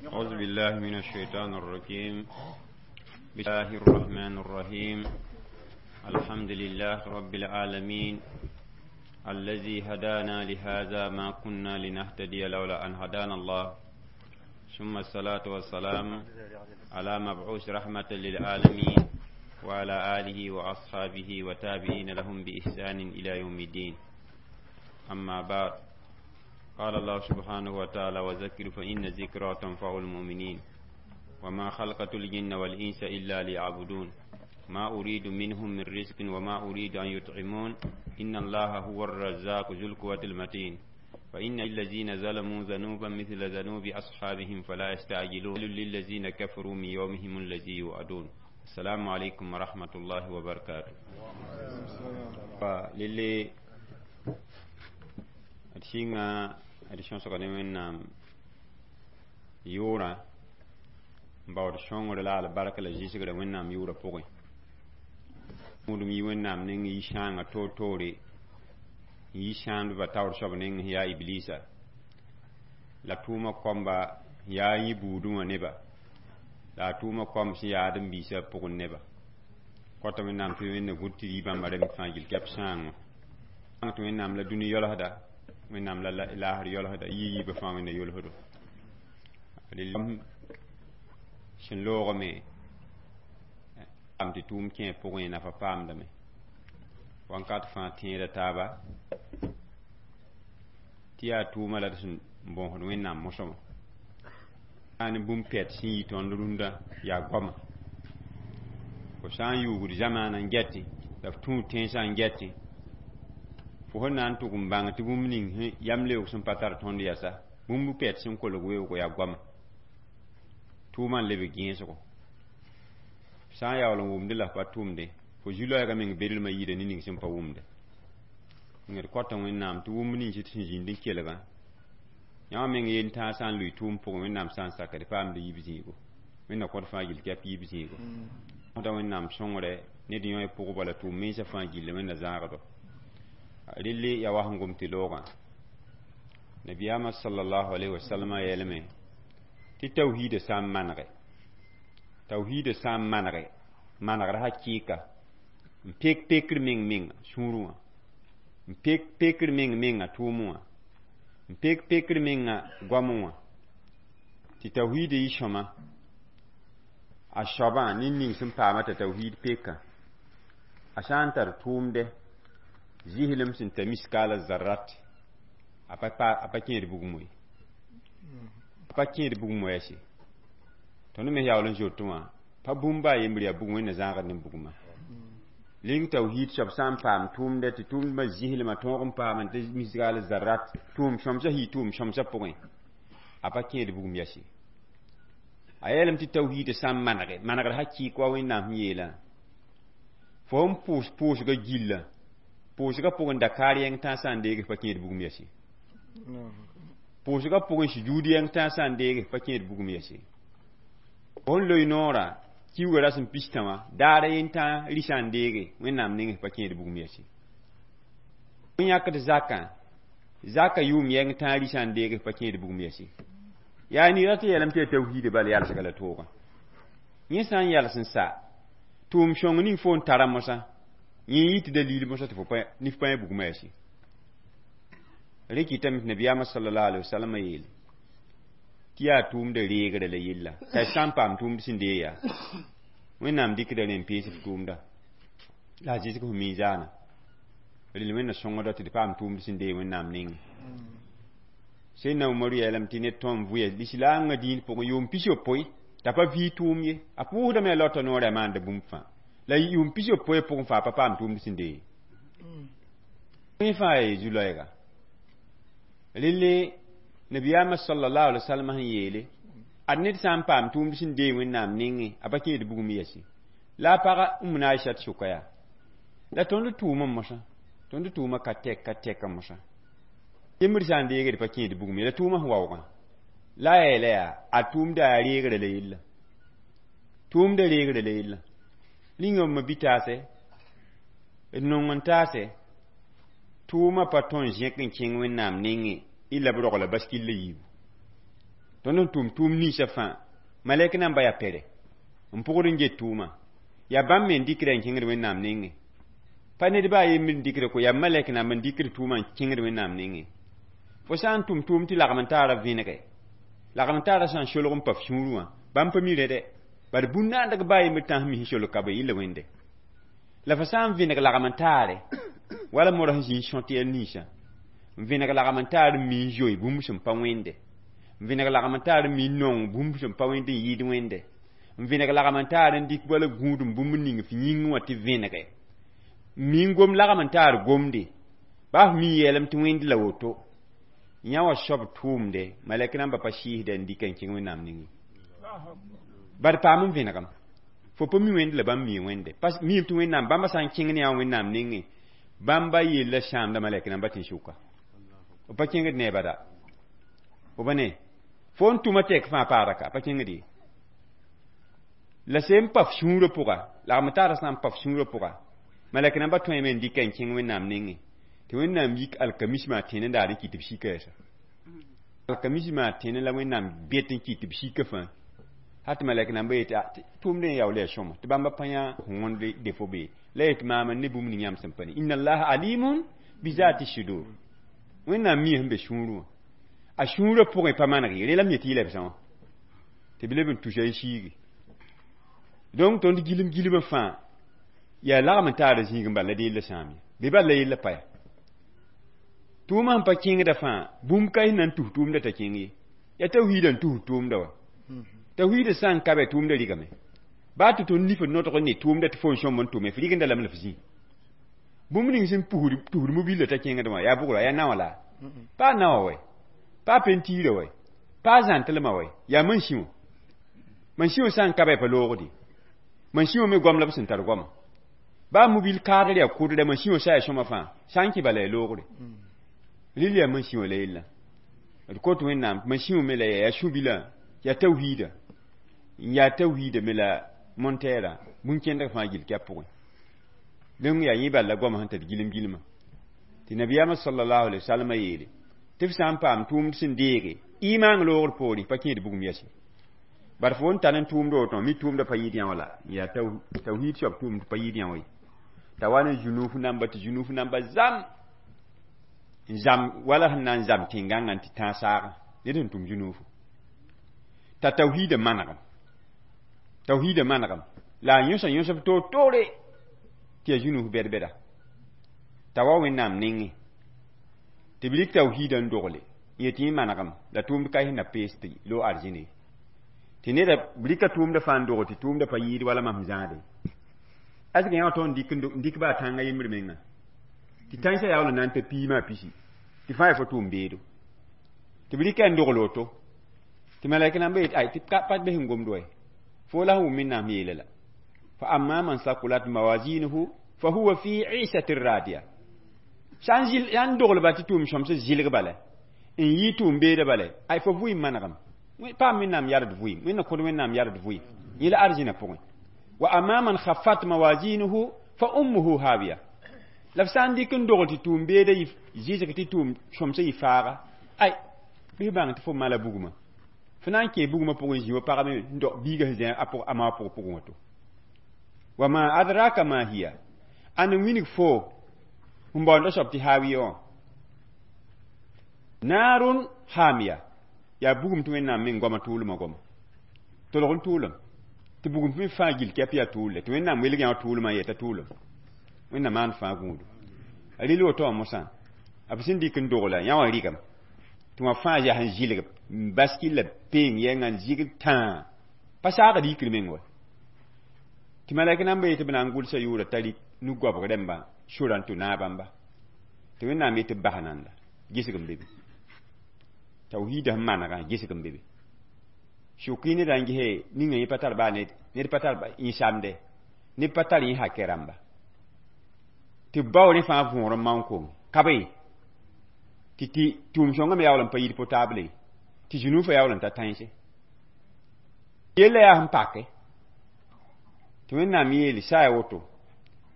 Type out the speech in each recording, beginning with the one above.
أعوذ بالله من الشيطان الرجيم. بسم الله الرحمن الرحيم. الحمد لله رب العالمين الذي هدانا لهذا ما كنا لنهتدي لولا أن هدانا الله، ثم الصلاة والسلام على مبعوث رحمة للعالمين وعلى آله وأصحابه وتابعين لهم بإحسان إلى يوم الدين. أما بعد، قال الله سبحانه وتعالى: وذكر فإن الذكرى تنفع المؤمنين وما خلقت الجن والإنس إلا ليعبدون ما أريد منهم من رزق وما أريد أن يطعمون إن الله هو الرزاق ذو القوة المتين فإن الذين ظلموا ذنوبا مثل ذنوب أصحابهم فلا يستعجلون للذين كفروا من يومهم الذي يوعدون. السلام عليكم ورحمة الله وبركاته. للي d sɩnga d sõsg ne Wẽnnaam yʋʋrã n baood sõngr la albarka la zɩsgrã Wẽnnaam yʋʋrã pʋgẽ wũudem yi Wẽnnaam neng yi sãangã toor-toore n yi sãandbã taoor soab neng sẽn yaa iblisa la tʋʋma kɔmba yaa yĩ buudẽ wã neba la a tʋʋma kɔmb sẽn yaad n biisã pʋgẽ neba kɔta Wẽnnaam tɩ Wẽnna gũd tɩ yi bãmba rem fãa gill kɛp sãangõ tɩ Wẽnnaam la dũni yɔlsda Wẽnnaam la laasr yɔlsda yi yiibã fãa Wẽnna yolsdo sẽn loogame tɩ tʋʋm kẽ pʋgẽ nafa paamdame wãnkat fãa tẽeda taaba tɩ yaa tʋʋma la d sẽn bõosd Wẽnnaam mosẽmã ne bũmb pɛt sẽn yi tõnd rũndã yaa goama fo sã n yuugd zamaana n gɛtɩ la f tũud tẽnsã n gɛtɩ fo sẽn na n tʋg n bãng tɩ bũmb ning yam leoog sẽn pa tar tõnd yasa bũmb pɛt sẽn kolg weoogo yaa goama tʋʋmã n lebg gẽesgo sã n yaool n wʋmdẽ la f pa tʋmde fo zu-loɛɛgã meng bedlmã yida ne ning sẽn pa wʋmde d kɔta Wẽnnaam tɩ wʋmb nins tɩ sẽn zĩnd n kelgã yãmb meng yel tãag sã n lʋɩ tʋʋm pʋgẽ Wẽnnaam sã n saka d paamd yib zĩigo Wẽnna kõt fãa gill kɛp yib zĩigo da Wẽnnaam sõngre ned yõ pʋgba la tʋʋm mensã fãa gilli Wẽnna zãagdo relle yaa wa sẽn gom tɩ loogã nabiyaamã sallallahu alaihi wasallam yeelame tɩ tawhiida sã n manege tawhiida sã n manege manegr hakɩɩka n pek pekr meng menga sũurẽ wã n pek pekr meng menga tʋʋmẽ wã n pek pekr menga goamẽ wã tɩ tawhiida yɩ sõma a soabã ned ning sẽn paama t'a tawhiid peka a sã n tar tʋʋmdɛ zɩslem sẽn ta miskaala zarrat a pa kẽed bugum ye a pa kẽed bugum wɛɛse tõnd me yaool n zoetẽ wã pa bũmb a yembr yaa bugum Wẽnna zãagd ne bugumã ling tawhiid soab sã n paam tʋʋmdɛ tɩ tʋʋmdmã zɩslmã tõog n paam tɩ misgaal zarrat tʋʋm sõmsã yɩ tʋʋm sõmsã pʋgẽ a pa kẽed bugum yɛse a yeelame tɩ tawhiidã sã n manege manegr hakɩɩk wa Wẽnnaam sẽn yeelã fo n pʋʋs pʋʋsga gilla pʋʋsga pʋgẽ dakaar yẽng tãag sã n deege pa kẽed bugum yɛse pʋʋsga pʋgẽ sujuud yẽng tãag sã n deege pa kẽed bugum yɛse fo n loe noorã kiuga rasem pistã wã daara yentã rɩsã n deege Wẽnnaam nengẽ pa kẽed bugum yɛse n yãkd zakã zaka yʋʋm yẽng tãag rɩsã n deege pa kẽed bugum yɛse yaa nira tɩ yeelame tɩ yaa tawhiida bal yalsga la toogã yẽ sã n yals n sa tʋʋm sõng ning fo n tara mosã yẽ yɩ tɩ dalil mosã tɩ fo nif pãe bugumã yɛse rẽ kɩtame tɩ nabiyaamã sallallahu alaihi wasallam yeele tɩ yaa tʋʋmdã reegrã la yella t'a sã n paam tʋʋmd sẽn dee yaa Wẽnnaam dɩkda rẽ n pees f tʋʋmda la a zɩsg f miizaana rel Wẽnna sõngda tɩ d paam tʋʋmd sẽn dee Wẽnnaam nengẽ Sẽnna Umaru yeelame tɩ ned tõm vʋya lislaangã dĩin pʋgẽ yʋʋm pisopoe t'a pa vɩ tʋʋm ye a pʋʋsdame a laota noorã a maanda bũmb fãa la yʋʋm pisopoe pʋgẽ fãa pa paam tʋʋmd sẽn dee ye fãa yaa zu-loɛɛga relle nabiyaamã sallallahu alaihi wasallam sẽn yeele ad ned sã n paam tʋʋmd sẽn dee Wẽnnaam nengẽ a pa kẽed bugum yɛse la a paga n na Aishat sʋka yaa la tõnd tʋʋmã mosã tõnd tʋʋmã ka tɛk ka tɛka mosã yembr sã n deegd pa kẽed bugum ye la tʋʋmã sẽn waoogã la a yeela yaa a tʋʋmda yaa reegrã la yella Tʋʋmdã reegre la yellã. Rĩnga b ma-bi-taase, d nong n taase, tʋʋmã pa tõe n zẽk n kẽng Wẽnnaam nengẽ illa b rogla baskil la yiibu. Tõnd n tʋm tʋʋm ninsã fãa, malɛk namba yaa pɛrɛ n pʋgd n get tʋʋmã. Yaa bãmb me n dɩkda n kẽngd Wẽnnaam nengẽ. Pa ned baa a yembr n dɩkda ko, yaa malɛk namba n dɩkd tʋʋmã n kẽngd Wẽnnaam nengẽ. Fo sã n tʋm tʋʋm tɩ lagm n taara vẽnege, lagm n taara sã n solg n pa f sũurẽ wã, bãmb pa mi rẽ dɛ. Bad bũn-naandg baa yembr tãns mis n solg ka be yella Wẽnde. La fo sã n vẽneg lagm n taare, wala modg sẽn zĩ n sõt yɛl ninsã, n vẽneg lagm n taar n mi n zoe bũmb sẽn pa wẽnde, n vẽneg lagm n taar n mi n nong bũmb sẽn pa wẽnd n yɩɩd wẽnde, n vẽneg lagm n taar n dɩk wala gũudum bũmb ning f yĩng wã tɩ vẽnege, n mi n gom lagm n taar gomde, baa f mi yeelame tɩ wẽnd la woto. Yã wã soab tʋʋmde, malɛk namba pa sɩɩsda n dɩka n kẽng Wẽnnaam nengẽ. Bad paam n vẽnegem. Fo pa mi wẽnd la bãmb mi wẽnde. Pa miime tɩ Wẽnnaam bãmba sã n kẽng ne yã Wẽnnaam nengẽ, bãmba yella sãamda malɛk namba tɩ n sʋka. B pa kẽngd ne bada. B pa ne. Fo n tʋma tɛk fãa paada ka, pa kẽngd ye. La sẽn pa f sũurã pʋga, lagm taara sã n pa f sũurã pʋga, malɛk namba tõeme n dɩka n kẽng Wẽnnaam nengẽ. Tɩ Wẽnnaam yik alkamismã tẽne n daar n kɩt tɩ b sika yɛsa. Alkamismã tẽne la Wẽnnaam bet n kɩt tɩ b sika fãa. Hat tɩ malɛk namba yetɩ tʋʋmdẽ n yaool yaa sõma, tɩ bãmba pa yã wõnd defo be. La yetɩ maam n ne bũmb ning yãmb sẽn pa ne. Inna allaha alimun bi zati sudur. Wẽnnaam mia sẽn be sũurẽ wã. A sũurã pʋgẽ pa maneg ye, rẽ la m yetɩ yɩla b sã wã. Tɩ b leb n tusa n siigi. Donc tõnd gilem gilmã fãa yaa lagm n taara zĩig n bal la deel la sãam ye. Bɩ bal la yella pa ya. Tʋʋmã sẽn pa kẽngda fãa, bũmb ka sẽn na n tus tʋʋmdã t'a kẽng ye. Yaa tawhiidã n tus tʋʋmdã wa. Tawhiidã sã n ka bɛ tʋʋmdã rɩgame. Baa tɩ tõnd nif n nodg ne tʋʋmdã tɩ fo n sõm n tʋme, f rɩgenda lame la f zĩ. Bũmb ning sẽn pusd mobila t'a kẽngd wã, yaa bʋgra, yaa naowã la? Pa naowã wɛ, pa pentiirã wɛ, pa zãntlmã wɛ, yaa mansĩ wã. Mansĩ wã sã n ka bɛ pa loogde. Mansĩ wã me goam la b sẽn tar goama. Baa mobil kaadr yaa kʋdrɛ, mansĩ wã sã yaa sõma fãa, sã n kẽ bala yaa loogre. Rɩl yaa mansĩ wã la yella. D kot Wẽnnaam mansĩ wã me la yaa sũ-bilã, yaa tawhiida. N yaa tawhiida me la montɛɛrã, bũn-kẽndg fãa gill kɛp pʋgẽ. Donc yaa yẽ bal la goamã sẽn tar gilem gilmã. Tɩ nabiyaamã sallallahu alaihi wasallam yeele tɩ f sã n paam tʋʋmd sẽn deege imaang loogr poorẽ, pa kẽed bugum yɛse. Bar fo n tar n tʋʋmd woto, mi tʋʋmdã pa yɩɩd yã wã la, yaa tawhiid soab tʋʋmd pa yɩɩd yã wã ye. T'a wa ne zũnuuf namba tɩ zũnuuf namba zam n zam wala sẽn na n zam tẽn-gãngã tɩ tãag saagã, ned sẽn tʋm zũnuufu. T'a tawhiidã manegem. Tawhiidã manegem. La a yõsa yõsb toor-toore tɩ yaa zũnuuf bɛd-bɛda. T'a wa Wẽnnaam nengẽ. Tɩ b rɩk tawhiidã n dogle, n yetɩ yẽ manegem la tʋʋmd ka sẽn na pees tɩ loog arzẽne. Tɩ neda b rɩka tʋʋmdã fãa n dog tɩ tʋʋmdã pa yɩɩd wala mam zãade. Asg yã wã tõnd n dɩk baa tãngã yembr menga. Tɩ tãnsã yaool n na n ta piimã pisi. Tɩ fãa yaa fo tʋʋm beedo. Tɩ b rɩka n dogl woto. Tɩ malɛk namba yetɩ ay tɩ pa bes n gomd wa. Fo la sẽn wʋm Wẽnnaam yeela la. Fa amma man sakulat mawazinuhu fa huwa fi isatin radiya. Sã n doglba tɩ tʋʋm sõmsã zɩlg bala, n yɩ tʋʋm beeda bala, ay fo vʋɩ manegem. Paam Wẽnnaam yard vʋɩ, Wẽnna kõd Wẽnnaam yard vʋɩ. Yẽ la arzẽna pʋgẽ. Wa amma man khaffat mawazinuhu fa ummuhu hawiya. La f sã n dɩk n dogl tɩ tʋʋm beeda zɩsg tɩ tʋʋm sõmsã yɩ faaga, ay bɩ f bãng tɩ fo mala bugmã. Fo na n kẽ bugmã pʋgẽ zĩ wa pagame n dog biigã sẽn zĩ a ma pʋgẽ pʋgẽ woto. Wa ma adraka ma hiya. Ãn n wilg fo n baoonda soab tɩ hawiya wã. Naarun hamiya. Yaa bugum tɩ Wẽnnaam meng goamã tʋʋlmã goama. Tolg n tʋʋlem. Tɩ bugum me fãa gill kɛp yaa tʋʋl tɩ Wẽnnaam welg yã wã tʋʋlmã n yeta tʋʋlem. Wẽnnaam maan fãa gũudu. A rɩl woto wã mosã, b sẽn dɩk n dogla yã wã rɩgem. Tɩ wã fãa yaa sẽn zɩlg n baskil la peeng yɛngã n zɩgd tãa. Pa saagd yikr meng wa. Tɩ malɛk namba yetɩ b na n gʋlsa yʋʋra t'a rɩk nu-goabg rãmba sora n tʋ naag bãmba. Tɩ Wẽnnaam yetɩ b bas nanda, gesg n be be. Tawhiidã sẽn manegã gesg n be be. Sʋk-y ned n gese ninga yẽ pa tar baa ned, ned pa tar yẽ samde, ned pa tar yẽ hakɛ rãmba. Tɩ b bao rẽ fãa võor n maoon kong. Ka be. Tɩ tɩ tʋʋm sõngã me yaool n pa yit potable ye. Tɩ zũnuufã yaool n ta tãense. Yella yaa sẽn pake. Tɩ Wẽnnaam yeele sã yaa woto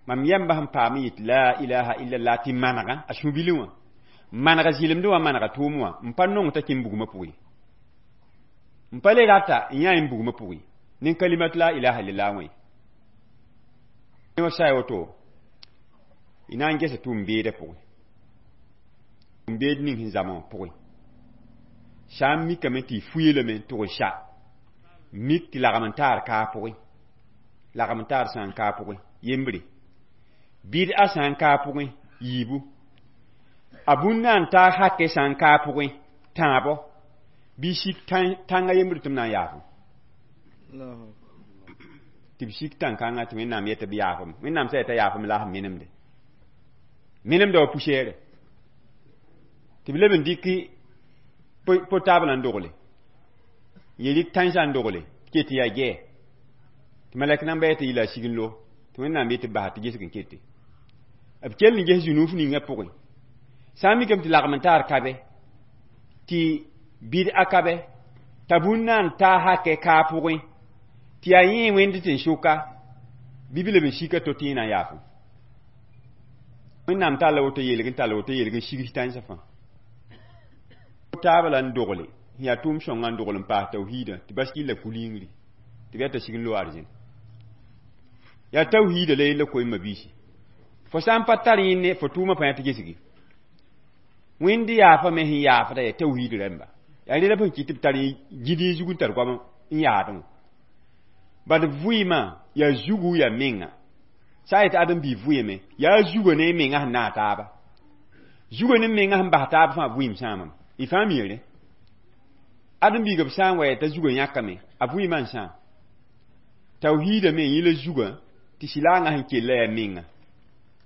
mam yãmba sẽn paam n yet la ilaha illallah tɩ manega a sũ-bilẽ wã manega zɩlemdẽ wã manega tʋʋm wã n pa nong t'a kẽ bugmã pʋgẽ n pa le rata n yã n bugmã pʋgẽ ne kalimat la ilaha illallah wã ye sã yaa woto y na n gesa tʋʋm-beedã pʋgẽ tʋʋm-beed ning sẽn zame wã pʋgẽ sã n mikame tɩ y fuye lame n tʋg n sa mik tɩ lagm n taar kaa pʋgẽ lagm n taar sã n kaa pʋgẽ yembre bɩd-a sã n kaa pʋgẽ yiibu a bũn na n taag hake sã n kaa pʋgẽ tãabo bɩ sik tãnga yembre tɩ m na n yaafem tɩ b sik tãn-kãngã tɩ Wẽnnaam yetɩ b yaafem Wẽnnaam sã yetã yaafem la sẽn minemde minemda wa poussière tɩ b leb n dɩk portable n dogle n rɩk tãnsã n dogle ket yaa gɛɛ tɩ malɛk namba yetɩ yɩla sig n lo tɩ Wẽnnaam yetɩ basa tɩ gesg n kete b kell n ges zũnuuf ninga pʋgẽ sã n mikame tɩ lagm n taar kabe tɩ bɩd-a kabe t'a bũn na n taa hakɛ kaa pʋgẽ tɩ yaa yẽ wẽnd tɩ n sʋka bɩ b leb n sika to tɩ yẽ na n yaafem Wẽnnaam talla woto yeelg n talla woto yeelg n sigs tãnsã fãa taaba la n dogle sẽn yaa tʋʋm sõngã n dogl n paas tawhiidã tɩ bas kɩlla kul-yĩngri tɩ b yaa t'a sig n lo arzẽn yaa tawhiida la yella koeemã biisi fo sã n pa tar yẽnne fo tʋʋmã pãyã tɩ gesgi Wẽnd yaafame sẽn yaafda yaa tawhiid rãmba yaa rẽla b sẽn kɩt tɩ b tar gid y zug n tar goam n yaadẽ wã bad vɩɩmã yaa zugu yaa menga sã n yetɩ ãdem-biig vɩɩme yaa zuga ne menga sẽn naag taaba zuga ne menga sẽn bas taab fãa vɩɩm sãamame y fãa mi rẽ ãdem-biigã b sã n wa t'a zugã yãkame a vɩɩmã n sãam tawhiidã me yẽ la zugã tɩ sɩlaangã sẽn kella yaa menga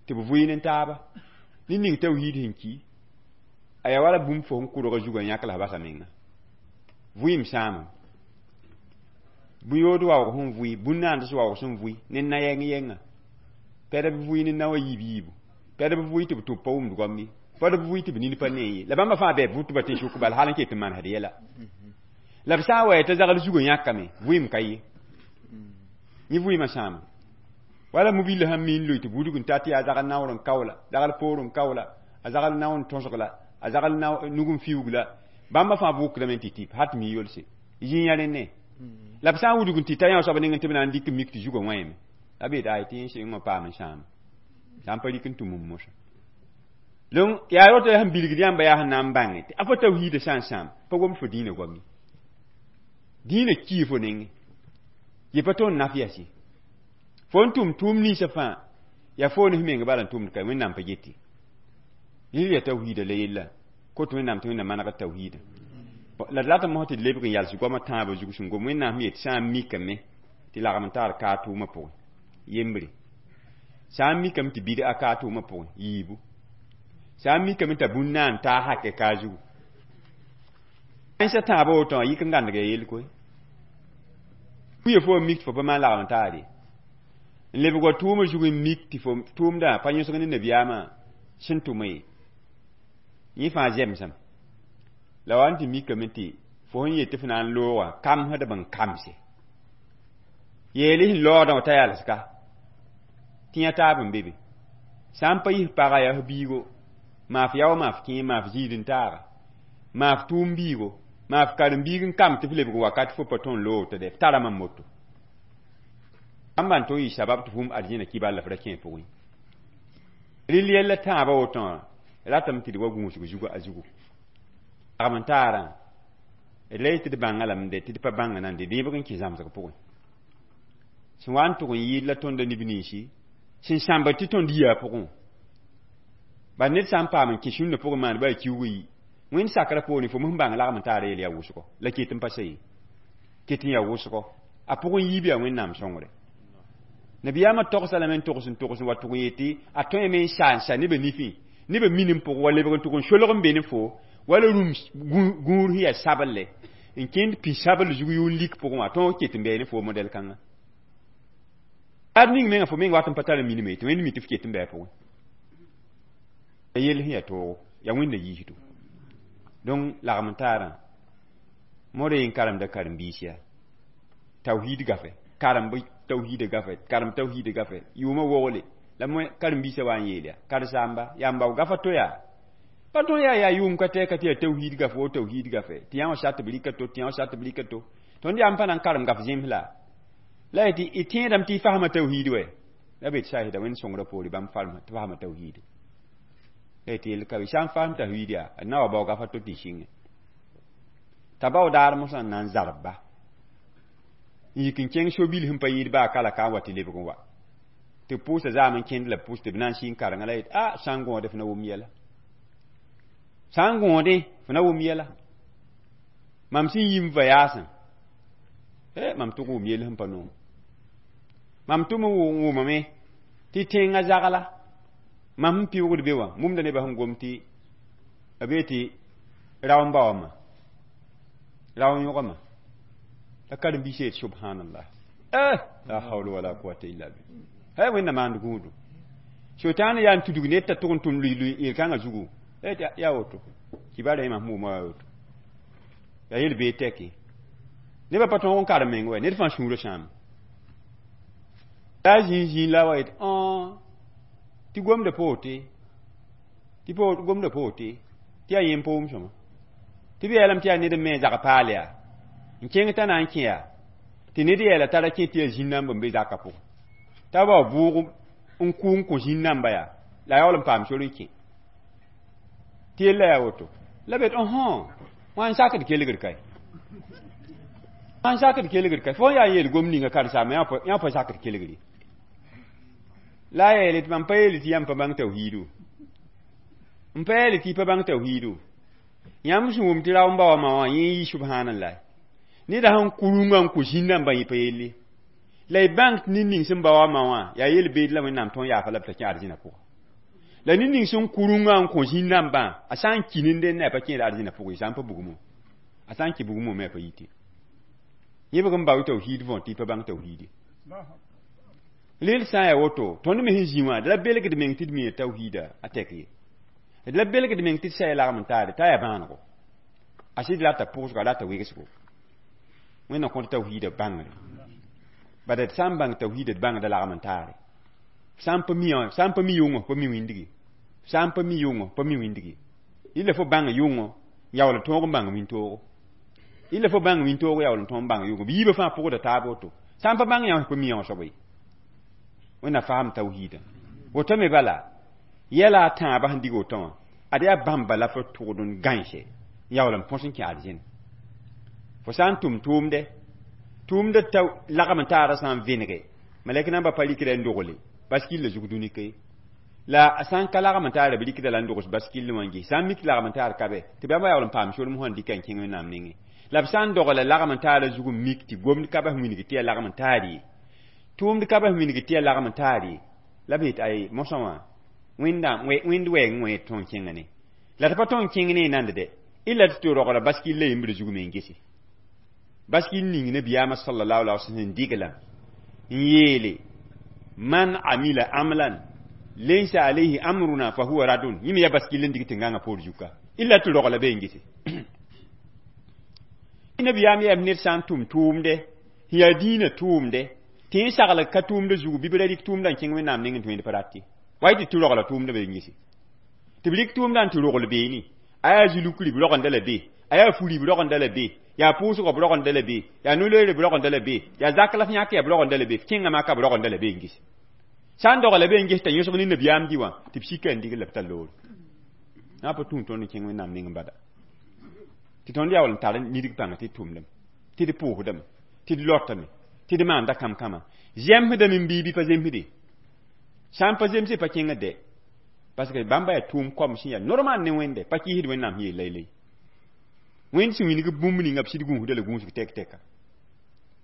tɩ b vɩɩ ne taaba ned ning tawhiid sẽn ki a yaa wala bũmb fo sẽn kʋrga zugã yãk la basa menga vɩɩm sãamame bũn-yood waoog sẽn vʋɩ bũn-naands waoog sẽn vʋɩ ne na-yɛng yɛnga pɛd b vʋɩ ne naowã yiib yiibu pɛd b vʋɩ tɩ b tʋb pa wʋmd goam ye pɛd b vʋɩ tɩ b nin pa nee ye la bãmba fãa bɩ b vʋtba tɩ sʋk bala hal n ket n manesd yɛla la b sã n wa t'a zagl zugã yãkame vɩɩm ka ye yẽ vɩɩmã sãama wala mobile sãn mi n loe tɩ budg n ta tɩ yaa zagl naoor n kaoola zagl poor n kaoola a zagl nao n tõsg la a zagl nug n fiuug la bãmba fãa vʋkdame tɩ tɩp hat mi yolse zĩ yã rẽnne la b sã n wudg n tɩ ta yã soab ning tɩ b na n dɩk mik tɩ zugã wãyame la b yetɩ ay tɩ yẽ sɩng wã paam n sãama sã n pa rɩk n tʋm n mosã donc yaa woto sẽn bilgd yãmba yaa sẽn na n bãnge tɩ a fo tawhiidã sã n sãam pa gom fo dĩinã goam ye dĩinã kii fo nengẽ yɩ pa tõnd naf yas ye fo n tʋm tʋʋm ninsã fãa yaa fo ne meng bala n tʋmd ka Wẽnnaam pa get ye rɩl yaa tawhiidã la yella kot Wẽnnaam tɩ Wẽnnaam maneg tawhiidã la d rat n mos tɩ d lebg n yals goamã tãabã zug sẽn gom Wẽnnaam sẽn yet sã n mikame tɩ lagm n taar kaa tʋʋmã pʋgẽ yembre sã n mikame tɩ bɩd-a kaa tʋʋmã pʋgẽ yiibu sã n mikame t'a bũn na n taa hakɛ kaa zugu tãnsã tãabã woto wã yik n gãndg ya yell koe kuya fo mik tɩ fo pa maan lagm n taar ye n lebg wa tʋʋmã zug n mik tɩ fo tʋʋmdã pa yõsg ne nabiyaamã sẽn tʋma ye yẽ fãa zemsame la wa n tɩ mikame tɩ fo sẽn yet tɩ f na n loogã kamsdb n kamse yeele sẽn laoodã wã t'a yalska tɩ yã taab n be be sã n pa yis paga yaa f biigo maaf yao maaf kẽe maaf ziid n taaga maaf tʋʋm biigo maaf karen-biig n kam tɩ f lebg wakat fo pa tõe n loog tɩ dɛ f tarame n moto bãmba n tõe n yɩ sabab tɩ fum arzẽna kibal la f ra kẽ pʋgẽ rɩl yɛlla tãabã woto wã ratame tɩ d wa gũusg zugã a zugu lagm n taarã d la yetɩ d bãnga lame de tɩ d pa bãnga nan de dẽebg n kẽ zãmsg pʋgẽ sẽn wa n tʋg n yɩɩd la tõnda neb ninsi sẽn sãmbd tɩ tõnd yia pʋgẽ bad ned sã n paam n kẽ sũnna pʋgẽ maan ba a kiuug yi Wẽnd sakrã poorẽ fo sẽn bãng lagm n taara yel yaa wʋsgo la ket n pa sa ye ket n yaa wʋsgo a pʋgẽ yiib yaa Wẽnnaam sõngre nabiyaamã togsa lame n togs n togs n wa tʋg n yetɩ a tõeme n sa n sa nebã nifẽ nebã min n pʋgẽ wa lebg n tʋg n solg n be ne fo wala rũm gũur sẽn yaa sabelle n kẽnd pĩ-sabl zug yʋʋn lik pʋgẽ wã tõog ket n bɩ ne fo modɛl kãngã ad ning menga fo meng wat n pa tar n minime tɩ Wẽnd mi tɩ f ket n bɩ a pʋgẽ ya yell sẽn yaa toogo yaa Wẽnda yiisdo donc lagm n taarã modẽ n karemda karen-biis yaa tawhiid gafe karemb tawhiida gafe karem tawhiida gafe yʋʋmã wogle la karen-biisã wa n yeel yaa karen-saamba yãmba gafa to yaa pa tõe yaa yʋʋm ka tɛka tɩ yaa tawhiid gafe wo tawhiid gafe tɩ yã wã shat b rɩka to tɩ yã wã shat b rɩka to tõnd yaa n pa na n karem gaf zẽms la la y tɩ y tẽedame tɩ y fasma tawhiid wɛ la be tɩ saasda wẽnd sõngrã poore bãmb tɩ fasma tawhiid la y tɩ yel ka be sã n fasm tawhiid yaa d na wa bao gafa to tɩ y sɩngẽ t'a bao daar mosã n na n zarb ba n yik n kẽng so-bil sẽn pa yɩɩd baa kala ka n wa tɩ lebg n wa tɩ b pʋʋsa zaam n kẽnd la b pʋs tɩ b na n sɩng karenga la yet a sã n gõode f na wʋm yɛla sã n gõodẽ f na wʋm yɛla mam sẽn yi n va yaasẽ mam tʋg wʋm yell sẽn pa noom mam tʋm n wʋmame tɩ tẽngã zagla mam sẽn pɩʋgd be wã mumda nebã sẽn gom tɩ b be tɩ rao n ba wãma rao n yõgama la karen-biisã yet subhanallah la hawla wala quwata illa billah hay wẽnna maand gũudu sotãan yaa n tudg ned t'a tʋg n tʋm lui yel-kãngã zugu yaa woto kibaara yẽma sẽn wʋma yaa woto yaa yel bee tɛke nebã pa tõog n karem meng wɛ ned fãa sũurã sãame la a zĩig zĩig la wa yet tɩ gomda pa wote tɩ gomda pa wote tɩ yaa yẽm pa wʋm sõma tɩ b yeelame tɩ yaa ned n me zag paal yaa n kẽng t'a na n kẽ yaa tɩ ned yeela t'a ra kẽ tɩ yaa zĩn-namba n be zakã pʋgẽ t'a bao bʋʋg n kʋ n kõ zĩn-namba yaa la a yaool n paam sor n kẽ tɩ yella yaa woto la bet wã n sakd kelgr kae wã n sakd kelgr kae fo yaa n yeel gom ninga karen-saamba yã pa sakd kelgre la a yeele tɩ mam pa yeele tɩ yãmb pa bãng tawhiidu n pa yeele tɩ y pa bãng tawhiidu yãmb sẽn wʋm tɩ rao n ba wã wã yẽ yi subhanallah neda sẽn kurungã n kõ zĩn-nambã yẽ pa yelle la y bãng tɩ ned ning sẽn ba wã ma wã yaa yel-beed la Wẽnnaam tõnd yaafa la b t'a kẽ arzẽna pʋga la ned ning sẽn kurungã n kõ zĩn-nambã a sã n ki nendẽ a pa kẽed arzẽna pʋgẽ sã n pa bugmo a sã n kẽ bugmo me a pa yite yẽbg n bao tawhiid võor tɩ y pa bãng tawhiide rel sã n yaa woto tõnd me sẽn zĩ wã d ra belgd meng tɩ d mi tawhiida a tɛk ye d la belgd meng tɩ d saya lagm n taare t'a yaa bãanego a sɩd rata pʋʋsgo a rata wegsgo Wẽnnaam kõt tawhiida bãngre bala d sã n bãng tawhiida d bãngda lagm n taare sã n pa mi sã n pa mi yʋngõ pa mi wĩndgi sã n pa mi yʋngõ pa mi wĩndgi illa fo bãng yʋngõ yaool n tõog n bãng wĩntoogo illa fo bãng wĩntoogo yaool n tõog n bãng yʋngõ b yiibã fãa pʋgda taab woto sã n pa bãng yã pa mi yã soaba ye Wẽnnaam faam tawhiida woto me bala yɛla a tãabã sẽn dig woto wã ad yaa bãmba la fo tʋgd n gãense yaool n põs n kẽ arzẽn fo sã n tʋm tʋʋmdɛ tʋʋmdã ta lagm n taara sã n vẽnege malɛk namba pa rɩkda n dogle baskilla zug dũni la a sã n ka lagm n taara b rɩkda la n dogs baskill wã n ges sã n mik lagm n taar ka bɛ tɩ bãmba yaool n paam sorem sẽn dɩka n kẽng Wẽnnaam nengẽ la b sã n dogla lagm n taara zug n mik tɩ gomd ka bas wilg tɩ yaa lagm n taar ye tʋʋmd ka bas wilg tɩ yaa lagm n taar ye la b yet ay mosã wã wẽnd wɛɛng wã tõnd kẽnga ne la tɩ pa tõnd kẽng ne y nand dɛ illa tɩ tɩ rogla baskill la yembr zug me n gese baskil ning nabiyaamã sallallahu alaihi wasallam digla n yeele man amila amlan laysa alayhi amruna fa huwa radun yẽme yaa baskil n dig tɩ gãngã poor zuka illa tɩ rogla be n gese nabiyaam yeem ned sã n tʋm tʋʋmdɛ sẽn yaa dĩinã tʋʋmdɛ tɩ yẽ sagl ka tʋʋmdã zugu bɩ b ra rɩk tʋʋmdã n kẽng Wẽnnaam nengẽ tɩ wẽnd pa rat ye wa tɩ tɩ rogla tʋʋmdã be n gese tɩ b rɩk tʋʋmdã n tɩ rogl beene a yaa zulukri b rogenda la be a yaa furi b rogenda la be yaa pʋʋsgɔ b rogenda la be yaa no-loeere b rogenda la be yaa zak la f yãk yaa b rogenda la be f kẽngã maka b rogenda la be n gese sã n dogla be n ges t'a yõsg ne nabiyaam dɩ wã tɩ b sika n digl la b tar loore na pa tũu tõnd n kẽng Wẽnnaam neng bada tɩ tõnd yaool n tar nidg pãnga tɩ d tʋmdame tɩ d pʋʋsdame tɩ d lotame tɩ d maanda kãm-kãma zemsdame n bii bɩ pa zemsde sã n pa zemse pa kẽngã dɛ parce que bãmba yaa tʋʋm kom sẽn yaa normal ne Wẽnde pa kɩɩsd Wẽnnaam sẽn yeel laylay Wẽnd sẽn wilg bũmb ninga b sɩd gũusda la gũusg tɛk-tɛka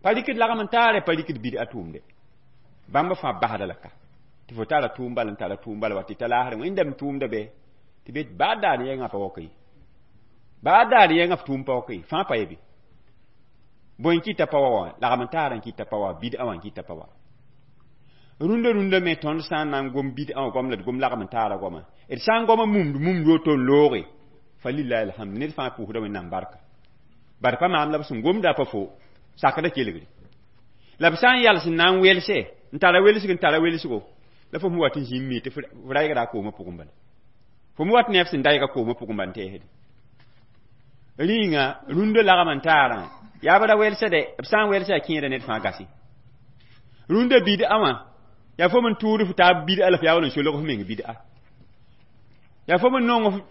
pa rɩkd lagm n taare pa rɩkd bid a tʋʋmde bãmba fãa basda la ka tɩ fo tara tʋʋm bal n tara tʋʋm bal wa tɩ ta laasrẽ Wẽndame tʋʋmda bɛ tɩ be baa daar yɛngã pa waoka ye baa daar yɛngã f tʋʋm pa waoka ye fãa pa ye be bõe n kɩta pa wa wã lagm n taara n kɩta pa wa bid-a wã n kɩta pa wa rũndã rũndã me tõnd sã n na n gom bid-ã wã goam la d gom lagm n taara goama d sã n goama mumd mumd woto n looge fa lillahi alhamd ned fãa pʋʋsda Wẽnnaam barka bara pa maam la b sẽn gomda pa fo sakda kelgre La b sã n yals n na n welse n tara welsg n tara welsgo la fo sẽn wat n zĩnd mi tɩ f raygda a koomã pʋgẽ bala fo me wat ne f sẽn dayga koomã pʋgẽ bal n teesde rĩnga rũndã lagm n taarã yaa b ra welsde b sã n welsa yaa kẽeda ned fãa gase rũndã bid'a wã yaa fo n tʋʋd f taab bid'a la f yaool n solg f meng bid'a yaa fo n nong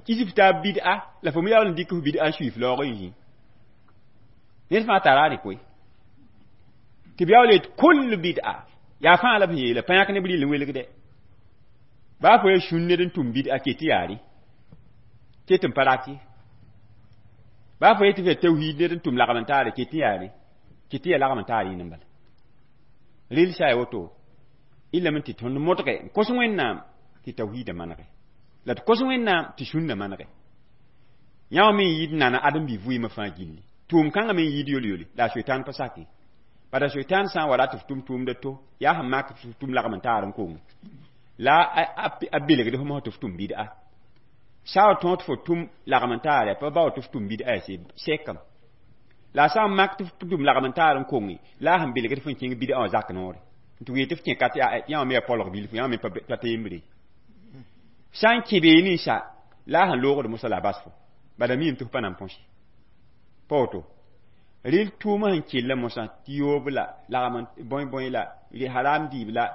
kis f taab bid'a la fo me yaool n dɩk f bid'a n sui f laoog n zĩ ned fãa tara rɩ koe tɩ b yaool yet kul bid'a yaa fãa la b sẽn yeela pa yãk neb rɩl n welgdɛ baa fo ya sũn ned n tʋm bid'a ket tɩ yaa rɩ ket n pa rat ye baa fo yetɩ f yaa tawhiid ned n tʋm lagm n taare ket tɩ yaa rɩ ket tɩ yaa lagm n taar yĩn n bala rɩl sa ya woto ilame tɩ tõnd modge n kos Wẽnnaam tɩ tawhiidã manege la tɩ kos Wẽnnaam tɩ sũnna manege yã wã me n yɩɩd nana ãdem-bi vɩɩmã fãa gilli tʋʋm kãngã me n yɩɩd yol-yoli la a soetan pa sake bala soetan sã n wa rat f tʋm tʋʋmda to yaa sẽn mak tɩ f tʋm lagm n taar n kong la a belgd f mosã tɩ f tʋm bid'a sã wa tõog tɩ fo tʋm lagm n taar pa bao tɩ f tʋm bid'a yaa sekam la a sã n mak tɩ f tʋm lagm n taar n konge la a sẽn belgd f n kẽng bid'a wã zak noore tɩ wee tɩ f kẽ kat yã wã me yaa polg bilfu yã wã me pa teembre sã n kẽ beene sa la a sẽn loogd mosã la a bas fo bala miime tɩ f pa na n põse pa woto rɩl tʋʋmã sẽn kella mosã tɩ yoob la lagm bõe-bõe la haram dɩɩb la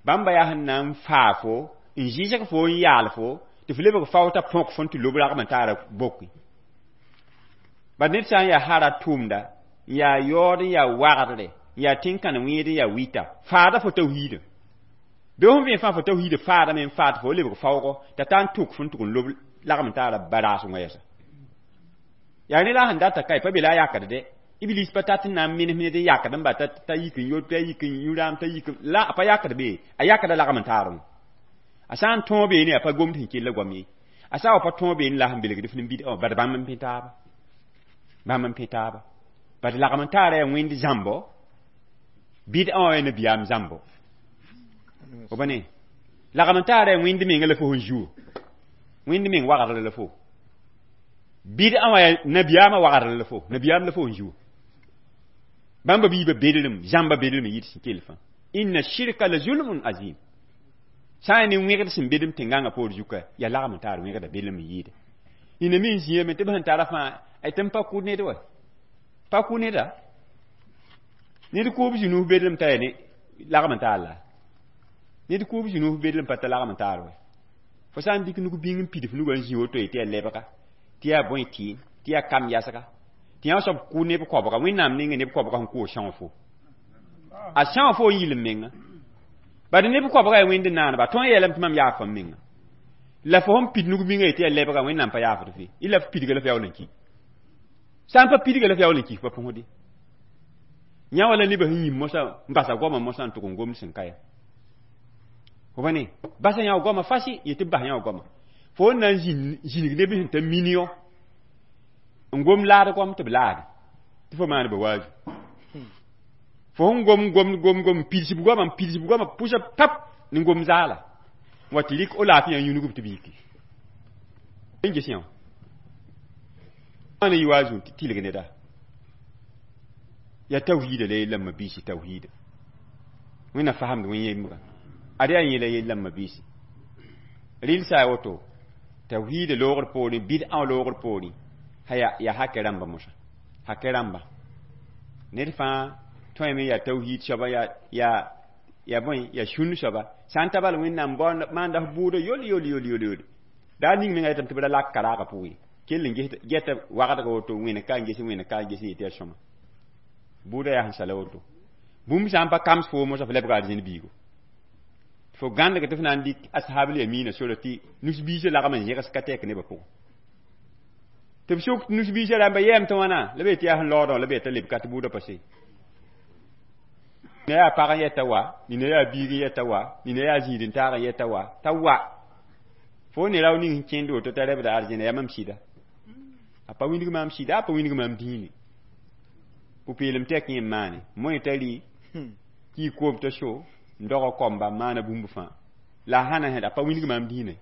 bãmba yaa sẽn na n faa fo n zɩsg fo n yaal fo tɩ f lebg fao t'a põk fo n tɩ lob ragm n taara boki bad ned sã n yaa hara tʋʋmda n yaa yaood n yaa wagdre n yaa tẽn-kãn wẽed n yaa wɩta faada fo tawhiidã bɩ fõn vẽ fãa fo tawhiidã faadame n faad fo lebg faoogo t'a ta n tʋk fo n tʋg n lob lagm n taara baraasengã yɛsa yaa ne la a sẽn data kae pa be la a yakd dɛ iblis pa tat n na n menes ned n yakd n ba t'a yik n yot t'a yik n yũ-raam t'a yik la a pa yakd be a yakda lagm n taarẽ a sã n tõog beene a pa gomd sẽn kell goam ye a sã wa pa tõog beene la sẽn belgd f nin-bidã wã bad bãmb n pẽ taaba bãmb n pẽ taaba bad lagm n taara yaa wẽnd zãmbo bid'a wã yaa nabiyaam zãmbo fo ba ne lagm n taara yaa wẽnd menga la fo sẽn zuo wẽnd meng wagdr la fo bid'a wã yaa nabiyaamã wagdr la fo nabiyaam la fo sẽn zuo bãmba biibã bedrem zãmba bedrem n yɩɩd sẽn kell fãa inna shirka la zulmun azim sã n yaa ne wẽgd sẽn bedem tẽn-gãngã poor zuka yaa lagm n taar wẽgda bedrem n yɩɩda nina me n zĩame tɩ b sẽn tara fãa tɩ n pa kʋ ned wa pa kʋ neda ned kʋʋb zĩ-nuus bedrem t'a yaa ne lagm n taar la ned kʋʋb zĩ-nuus bedrem pa ta lagm n taar wa fo sã n dɩk nug bĩng n pid f nugã n zĩ woto ye tɩ yaa lebga tɩ yaa bõe tɩɩm tɩ yaa kam yasga tɩ yã soab kʋ neb koabga Wẽnnaam ninga neb koabga sẽn kʋʋ sãoog fo a sãoog fo n yɩl n menga bad neb koabga yaa wẽnd naaneba tõe n yeelame tɩ mam yaaf m menga la fo sẽn pid nug bĩngã ye tɩ yaa lebga Wẽnnaam pa yaafd fe y la f pidga la f yaool n ki sã n pa pidga la f yaool n ki f pa põsde yã wala nebã sẽn yĩm mosã n basa goamã mosã n tʋg n gomd sẽn ka ya fo pa ne basa yã wa goamã fasi yetɩ b bas yã wa goamã fo n na n zĩnig neb sẽn ta million n gom laad goam tɩ b laade tɩ fo maan ba waazu fo sẽn gom gom gom gom pidsb goamã n pidsb goamã pʋsa pap ne gom zaala n wa tɩ rɩk o laafɩ yã yũnugb tɩ b yiki n ges yã wã ne yɩ waazu tɩ tɩlg neda yaa tawhiida la yellame biisi tawhiida wẽnna fasemd wẽn yembga ad yaa yẽla yellame biisi rɩl sã a woto tawhiida loogr poorẽ bidã loogr poorẽ yaa hakɛ rãmba mosã hakɛ rãmba ned fãa tõeme yaa tawhiid soaba yaa bõe yaa sũn soaba sã n ta bal Wẽnnaam maanda f bʋʋda yol yol yol yol yol daa ning menga yetame tɩ b ra lak karaagã pʋgẽ ye kell n geta wagdga woto wẽne ka n ges wẽne ka n ges n yetɩ yaa sõma bʋʋda yaa sẽn sala woto bũmb sã n pa kams foo mosã f lebga arzẽn biigo fo gãndg tɩ f na n dɩk ashabl yamina sora tɩ nus-biisã lagm n zẽgs ka tɛk nebã pʋgẽ tɩ b sʋk nus-biisã rãmba yɛɛm tɩ wãna la b yetɩ yaa sẽn laoodã la b yeta leb ka tɩ bʋʋda pa se nina yaa pag n yɛta wa nina yaa biig n yɛta wa nina yaa zĩid n taag n yɛta wa t'a wa fo ne rao ning sẽn kẽnd woto t'a rebda arzẽna yaa mam sɩda a pa wĩndg maam sɩda a pa wĩndg maam dĩine pʋ-peelem tɛk yẽ n maane moẽ t'a rɩ kii koom t'a so n doga komba n maana bũmb fãa la a sãna sẽd a pa wĩndg maam dĩinã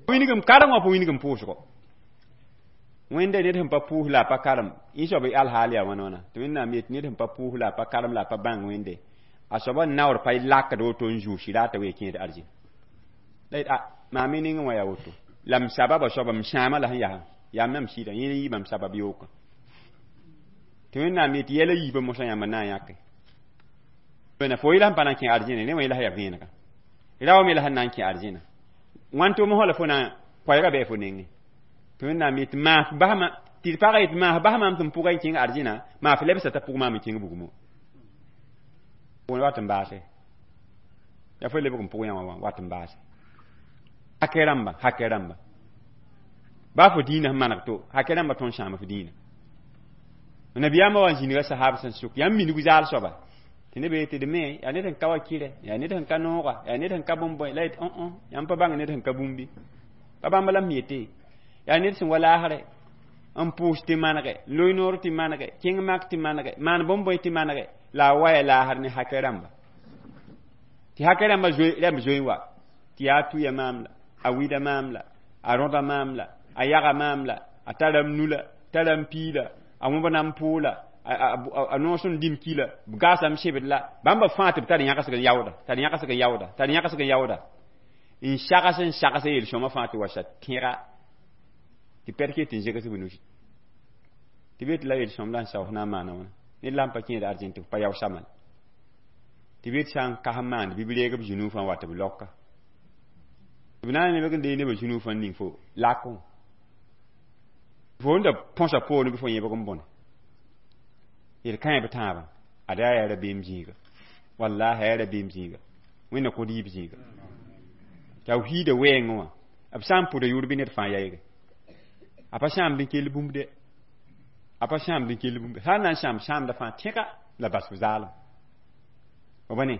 wĩndgm karengã pa wĩndgm pʋʋsgo Wẽnda ned sẽn pa pʋʋs la a pa karem yẽ soab alhaal yaa wãna wãna tɩ Wẽnnaam yet ned sẽn pa pʋʋs la a pa karem la a pa bãng Wẽnde a soaba naoor pa lakd woto n zʋʋs sɩraata wee kẽed arzĩn la yet a maam y nengẽ wã yaa woto la m sababa soaba m sãama la sẽn yaa yaa mam sɩda yẽ n yɩ mam sabab yookã tɩ Wẽnnaam yet yɛla yiibã mosã yãmba na n yãke na fo yela sẽn pa na n kẽ arzẽne rẽ wã yela sã yaa vẽenega rao me la sẽn na n kẽ arzẽna wãn tɩ mosã la fo na koɛɛgã bɩ fo nengẽ tɩ Wẽnnaam yet maas basma tɩ d pagã yet maas bas maam tɩ m pʋga n kẽng arzẽna maas lebsa t'a pʋg maam n kẽng bugmo wat n baase yaa fo lebg n pʋg yã wã wat n baase hakɛ rãmba hakɛ rãmba baa fo dĩinã sẽn maneg to hakɛ rãmba tõnd sãam f dĩinã nabiyaamã wa n zĩniga sahab sẽn sʋk yãmb minig zaal soaba tɩ neb yetɩ d me yaa ned sẽn ka wa kɩrɛ yaa ned sẽn ka nooga yaa ned sẽn ka bõn-bõe la yet õ yãmb pa bãng ned sẽn ka bũmbi pa bãmb la m yete yaa ned sẽn wa laasrɛ n pʋʋs tɩ manege n loe noor tɩ manege kẽng mak tɩ manege maan bõn-bõe tɩ manege la a waya laasr ne hakɛ rãmba tɩ hakɛ rãmba rãmb zoe n wa tɩ yaa tuya maam la a wida maam la a rõda maam la a yaga maam la a tara m nu la tara m pii la a wõbna m pʋʋ la a noos n dim ki la b gaasam sebd la bãmba fãa tɩ b tar yãgsg n yaooda tar yãgsg n yaooda tar yãgsg n yaooda n sags n sags yel-sõma fãa tɩ wa sa tẽga tɩ pɛd ket n zegs b nusi tɩ be tɩ la yel-sõm la n saoos na n maana wãna ned la n pa kẽed arzẽn tɩ b pa yao samal tɩ be tɩ sã n kas n maand bɩ b reeg b zũnuufã wa tɩ b laoka b na n lebg n dee nebã zũnuufã n ning fo lakẽ fo n da põsa poorẽ bɩ fo yẽbg n bõne yel-kãe b tãabã ada yaa rabeem zĩiga wallahi yaa rabeem zĩiga Wẽnna kõ rɩɩb zĩiga tawhiida wɛɛngẽ wã b sã n pʋda yʋʋr bɩ ned fãa yaɩge a pa sãamd n kell bũmb de a pa sãamd n kell bũmb sã n na n sãam sãamda fãa tẽga la bas f zaalem f ba ne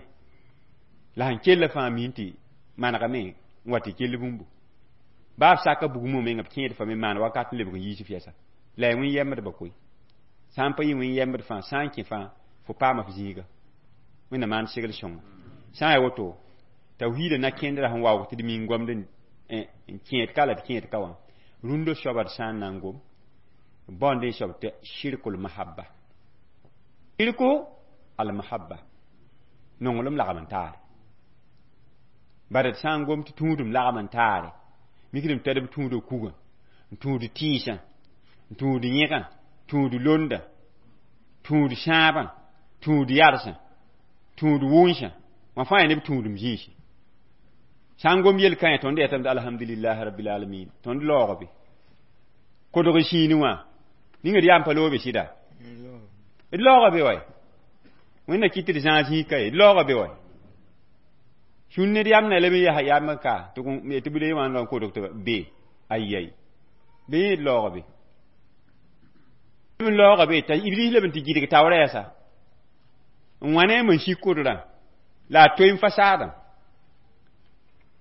la sẽn kella fãa min tɩ manegame n wa tɩ kell bũmbu baa b saka bugmã menga b kẽed fa me maan wakat n lebg n yiis f yɛsa la ya wẽn-yɛmbdbã koe sã n pa yɩ wẽn-yɛmbd fãa sã n kẽ fãa fo paama f zĩiga Wẽnna maan segl sõnga sã n yaa woto tawhiida na kẽndra sẽn waoog tɩ d min goamd n kẽed ka la d kẽed ka wã rũndã soaba d sã n na n gom baoond n soab tɩ shirkul mahabba shirku al mahabba nonglem lagm n taare bara d sã n gom tɩ tũudum lagm n taare mikdem tɩ b tũuda kugã n tũud tɩɩsã n tũud yẽgã tũud londa tũud sãabã tũud yarsã tũud wʋnsã wã fãa yaa neb tũudum zĩisi sã n gom yel-kãe tõnd yetame tɩ alhamdulillahi rabbil alamin tõnd laoog be kodg sĩine wã ninga d yaa n pa loobe sɩda d laooga be wa Wẽnna kɩt tɩ d zãag zĩig ka ye d laooga be wa sũn ned yam na leb n yaa yam n ka tɩ b le wã n kodg tɩ be ayai be yẽ d laooga be n laooga be t'a iblis leb n tɩ gɩdg taoora yɛsa n wã ne n sik kodrã la a toe n fa saadã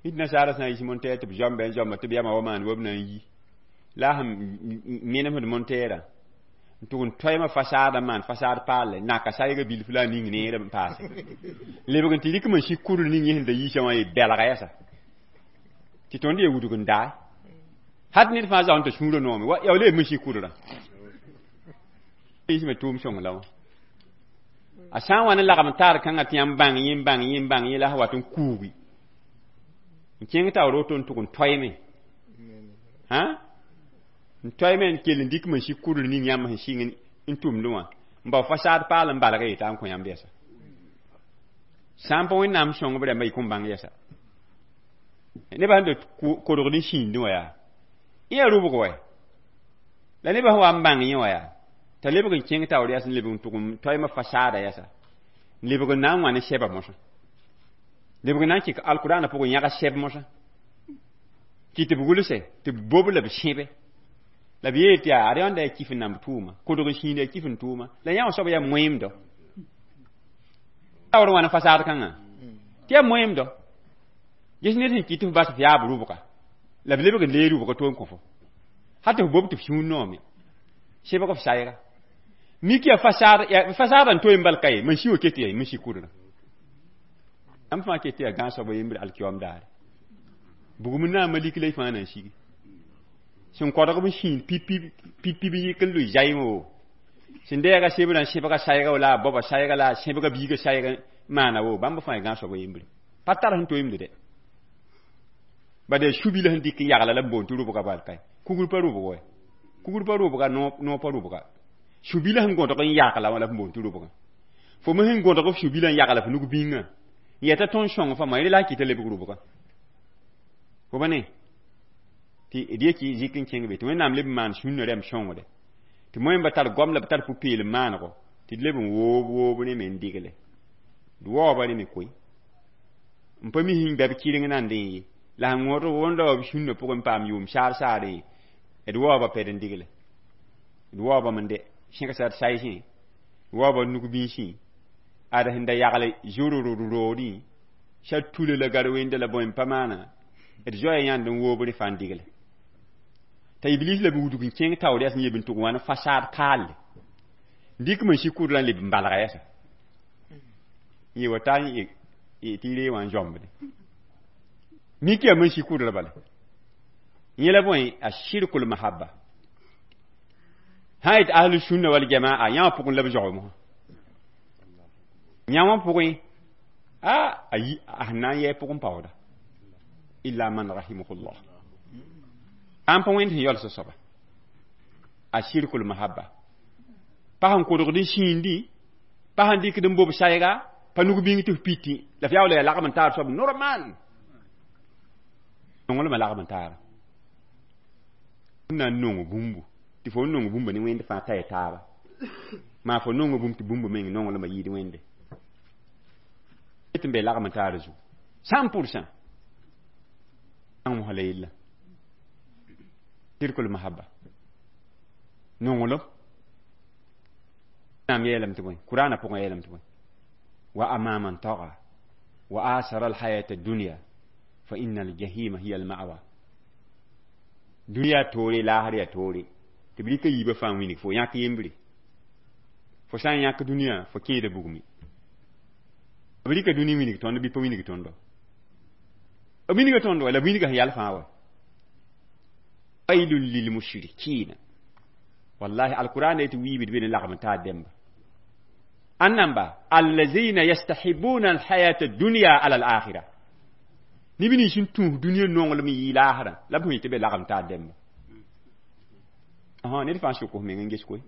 nit nasaara sã n yis montɛɛr tɩ b zoambe n zoamba tɩ b yama wa maan wa b na n yi la a sẽn menemsd montɛɛrã n tʋg n toɛɛmã fasaadã n maan fasaad paalle naka sayga bilf la a ning neere n paase lebg n tɩ rɩk n sik kudr ning yẽ sẽn da yiisã wã ye bɛlga yɛsa tɩ tõnd ye wudg n daay hat ned fãa zao n t'a sũurã noome wa yaa leeb n sik kudrã yisme tʋʋm sõng la wã a sã n wa ne lagm taar kãngã tɩ yãmb bãng yẽ n bãng yẽ n bãng yẽ la sã wat n kuugi n kẽng taoor woto n tʋg n toɛɛme hã n toɛɛme n kell n dɩk n sik kudr ning yãmb sẽn sɩng n tʋmdẽ wã n bao fasaad paal n balg yeta n kõ yãmb yɛsa sã n pa Wẽnnaam sõng b rãmbã y kõn bãng yɛsa nebã sẽn da kodgd n sĩindẽ wã yaa yẽ yaa rʋbg wɛ la nebã sẽn wa n bãng yẽ wã yaa t'a lebg n kẽng taoor yɛs n lebg n tʋg n toɛɛmã fasaada yɛsa n lebg n na n wã ne sɛba mosã lebg n na n kɩk alkʋraanã pʋgẽ yãg sɛb mosã kɩ tɩ b gʋlse tɩ b bob la b sẽbe la b yeel tɩ yaa ad yãnda yaa kif n namb tʋʋma kodg n sĩinda yaa kif n tʋʋma la yã wã soab yaa moeemdɔ taoor wã ne fasaad kãngã tɩ yaa moeemdɔ ges ned sẽn kɩt tɩ f bas f yaab rʋbga la b lebg n lee rʋbga to n kõ fo hal tɩ f bob tɩ f sũur noome sebg f sayga mik yaa fasaada n toe n bal ka ye man si wa ket yaa man si kudrã yãmb fãa ket tɩ yaa gãag soab a yembr alkiyoam daare bugum n naama lik la y fãa na n sigi Sẽn kodg b sĩid pip pip pip pip yik n lʋɩ zaɩẽ wo. Sẽn deega sebrã n sẽbga sayga la a baoba sayga la a sẽbga biiga sayg n maana wo, bãmb fãa gãag soab a yembre. Pa tar sẽn toeemde dɛ. Bad yaa su-bila sẽn dɩk n yagla la b boond tɩ rʋbga bal kae. Kugr pa rʋbg wɛ. Kugr pa rʋbga, noor pa rʋbga. Su-bila sẽn gõdg n yagla wã la b boond tɩ rʋbgã. Fo me sẽn gõdg f su-bilã n yagla f nug bĩngã. N yɛta tõnd sõng fãa, rẽ la sẽn kɩta lebg rʋbgã. Fo ba ne? Tɩ d yetɩ zɩk n kẽng be tɩ Wẽnnaam leb n maan sũnna rɛm sõngre. Tɩ moẽmba tar goam la b tar pʋ-peelem maanego, tɩ d leb n woob woob rẽ me n digle. D waooba rẽ me koe. N pa mi sẽn bɛ b kɩreng nandẽ ye. La sẽn wõdg wõnda wa b sũnna pʋgẽ n paam yʋʋm saar saare, d waooba pɛd n digle. D waoobame n dɛ sẽgsa d saysẽ, d waooba d nug binsẽ, ad sẽn da yagle zʋrʋrʋd roodẽ, sã tula la gar wẽnda la bõe n pa maana, d zoaya yãnd n woob rẽ fãa n digle. T'a iblis la b wudg n kẽng taoor yas n yeb n tʋg wã ne fasaad kaalle. Dɩk me sɩ kʋdrã n leb n balga yɛsa. Yẽ wa ta n tɩ y ree wã n zãmbde. Mik yaa me sɩ kʋdrã bala. Yẽ la bõe a shirkul mahabba. Sã yet ahlu sunna wal jamaa yã wã pʋgẽ la b zao mosã. Yã wã pʋgẽ a a sẽn na n yɛɛ pʋgẽ paooda. Illa man rahimahullah. Ãn pa wẽnd sẽn yaols soaba. A shirkul mahabba. Pa sẽn kodgd n sĩindi, pa sẽn dɩkd n bob sayga, pa nug bĩng tɩ f piti, la f yaool yaa lagm n taar soab normal. Nonglmã lagm n taara. Na n nong bũmbu, tɩ fo n nong bũmba ne wẽnd fãa t'a ya taaba. Maa fo nonga bũmb tɩ bũmba meng nonglmã yɩɩd wẽnde. Tɩ n be lagm n taara zugu. 100%. Mosã la yella. Shirkul mahabba. Nonglem. Naam yeelame tɩ bõe? Kurãanã pʋgẽ yeelame tɩ bõe? Wa amma man taga wa asara alhayata dunya fa inna aljahima hiya alma'wa. Dũniyã toore laasr yaa toore. Tɩ b rɩka yiibã fãa wĩnig fo yãk yembre. Fo sã n yãk dũniyã fo kẽeda bugme. B rɩka dũni winig tõnd bɩ pa winig tõndo. B winiga tõndo la b winiga sẽn yal fãa wa. Wailun lilmushrikina. Wallahi alquran yetɩ wiibd be ne lagm n taar dẽmba. Ãn namba allazina yastahibuna alhayata dunya ala alakhira. Neb nins sẽn tũus dũniyã nonglem n yɩ laasrã la b sẽn tɩ be lagm taar dẽmba. Ned fãa sʋk f meng n ges koe.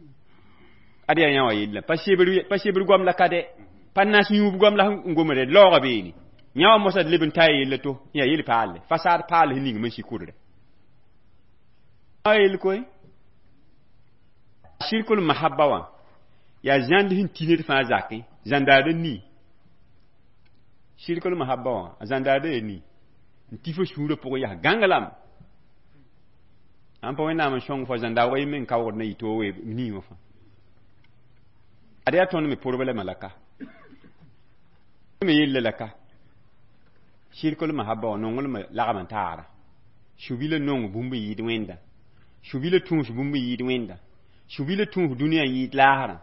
Ad yaa yã wã yella. Pa sebr goam la ka dɛ. Pa nas yũub goam la n gomde laooga beene. Yã wã mosã d leb n taa yella to yaa yel paalle. Fasaad paal sẽn ning me sɩ kʋdre. A yel koe. Shirkul mahabba wã yaa zãnd sẽn tɩ ned fãa zakẽ, zãndaad n nii. Shirkul mahabba wã a zãndaada yaa nii. N tɩ fo sũurã pʋgẽ yaa gãnglame. Ãn pa Wẽnnaam n sõng fo zãndaoogã yẽ meng kaoogd na yɩ toog nii wã fãa. Ad yaa tõnd me problɛmã la ka. Me yella la ka. Shirkul mahabba wã nonglmã lagm n taara. Su-bilã nong bũmb n yɩɩd wẽnda. Su-bilã tũus bũmb n yɩɩd wẽnda. Su-bilã tũus dũniyã n yɩɩd laasrã.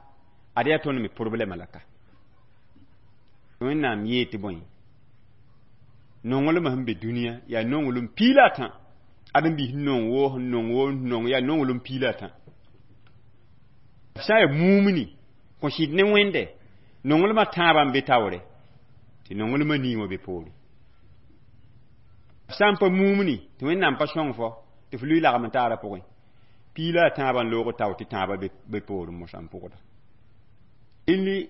Ad yaa tõnd me problɛmã la ka. Wẽnnaam yee tɩ bõe? Nonglmã sẽn be dũniyã yaa nonglem piila a tã. Ad n bis nong woo sẽn nong woo n nong yaa nonglem piila a tã. Sã n yaa mumni kõ sɩd ne wẽnde, nonglmã tãabã n be taoore, tɩ nonglmã nii wã be poore. Sã n pa mumni tɩ Wẽnnaam pa sõng fo tɩ f lʋɩ lagm n taarã pʋgẽ, piila a tãabã n loog tao tɩ tãabã be poorẽ mosã n pʋgda. Rẽnd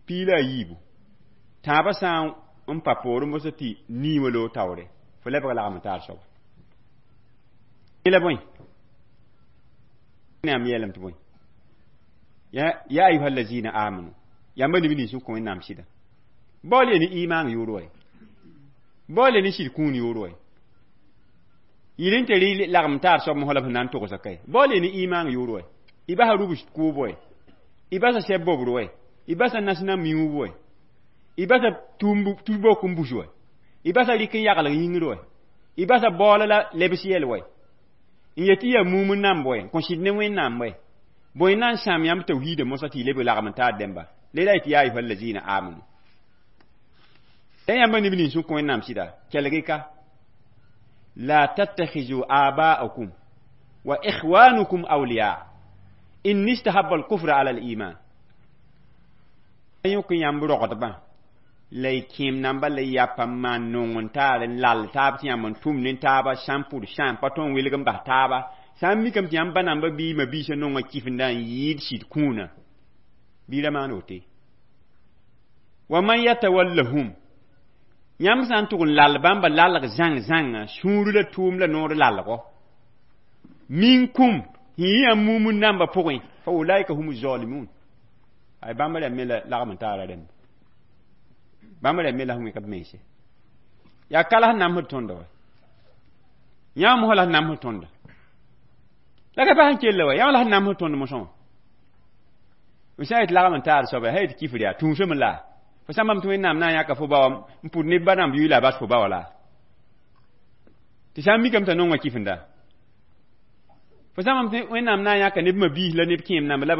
piila a yiibu. Tãabã sã n pa poorẽ mosã tɩ nii wã loog taoore, fo lebg lagm n taar soaba. La bõe? Wẽnnaam yeelame tɩ bõe? Ya ayuha allazina amanu. Yãmba neb nins sẽn kõ Wẽnnaam sɩda. Baool ya ne imaan yoor wa. Baool ya ne sɩd kũun yoor wa. Yɩl n tɩ rɩ lagm taar soab mosã la b sẽn na n togsa kae. Baool ya ne imaan yoor wa. Y basa rubs kʋʋb wa. Y basa sɛb bobr wa. Y basa nasẽna miuub wa. Y basa tũub n bus wa. Y basa rɩk n yagl yĩngr wa. Y basa baoola la lebs yɛl wa. N yetɩ yaa mum n namb wa, kõ sɩd ne Wẽnnaam wa. Bõe na n sãam yãmb tawhiida mosã tɩ y leb lagm n taar dẽmba. Le la yetɩ ya ayuha allazina amanu. La yãmba neb nins sẽn kõ Wẽnnaam sɩda, kelg-y ka. La tattakhizu aba'akum Wa ikhwanukum awliya in istahabba al-kufra ala al-iman. Yõk yãmb rogdbã la y kẽem namba la y yapa n maan nong n taar n lal taab tɩ yãmb n tʋm ne taaba sã n pʋd sã n pa tõe n welg n bas taaba sã n mikame tɩ yãmb ba namba bɩ ma biisã nonga kifnda n yɩɩd sɩd kũuna bɩ ra maan wote. Wa man yatawallahum yãmb sã n tʋg n lal bãmba lalg zãng zãnga sũur la tʋʋm la noor lalgo minkum yĩ yãmb mumun namba pʋgẽ fa ulaika humu zalimun. Ay bãmba rãmb me la lagm n taara rãmb bãmba rãmb me la sẽn wẽk b mense yaa ka la sẽn namsd tõnda wa yãmb mosã la sẽn namsd tõnda la ka pa sẽn kell wa yãmb la sẽn namsd tõnd mosã wã f sã n yet lagm n taar soaba sã yet kifr yaa tũusame la fo sã n bãmb tɩ Wẽnnaam na n yãka fo ba wã n pʋd neb ba nãmb yʋɩ la a bas fo ba wã la tɩ sã n mikame t'a nonga kifnda fo sã n bãmb tɩ Wẽnnaam na n yãka neb mabiis la neb kẽem namba la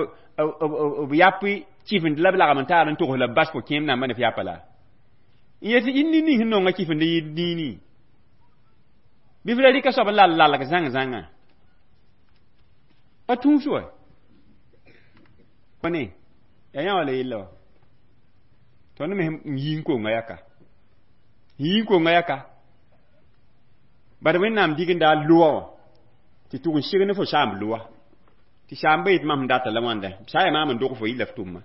b yap kifnd la b lagm n taar n togs la b bas fo kẽem namba ne f yapa la n yet y nin-ning sẽn nonga kifnd yɩɩd niini bɩ f ra rɩka soab n lal lalg zãng zãnga pa tũus wa ne yaa yã wã la yella wa tõnd me n yi n konga yaka yi n konga yaka bad Wẽnnaam digenda a loa wã tɩ tʋg n sig ne fo saamb loa tɩ saamba yet mam sẽn data la wãnda sã yaa maam n dog fo yɩ la f tʋmma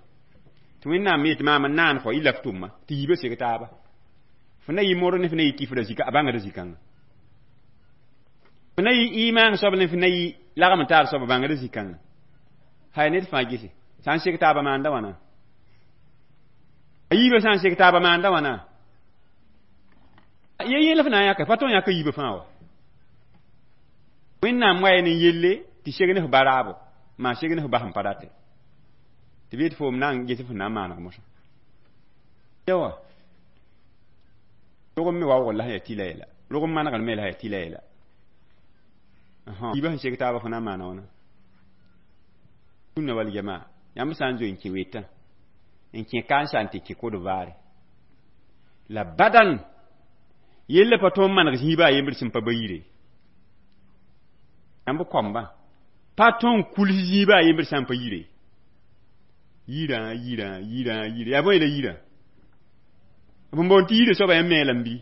tɩ Wẽnnaam yet maam n naan fo yɩ la f tʋmma tɩ yiibã seg taaba fo na yɩ modg ne fo na yɩ kifra zika a bãngda zikãnga fo na yɩ imaan soab ne fo na yɩ lagm n taar soab a bãngda zikãnga hay ned fãa gese sã n seg taaba maanda wãna a yiibã sã n seg taaba maanda wãna ye yẽl f na n yãka pa tõe n yãka yiibã fãa wa Wẽnnaam wa ne yelle tɩ seg ne f baraabo maa seg ne f bas n pa rate tɩ bɩ tɩ foom na n ges f na n maaneg mosã yawa rog me waoogr la sẽn yaa tɩla yɛla rog n manegr me la sẽn yaa tɩla yɛla yiibã sẽn seg taaba fo na n maana wãna sũnna wal jamaa yãmb sã n zoe n kẽ wetã n kẽ kãnsa n tɩ kẽ kod vaare la badan yella pa tõe n maneg zĩiba a yembr sẽn pa ba yire yãmb koambã pa tõe n kuls zĩiba a yembr sã n pa yire yirã yirã yirã yirã yaa bõe la yirã b n boond tɩ yirã soaba yãmb me la n bɩ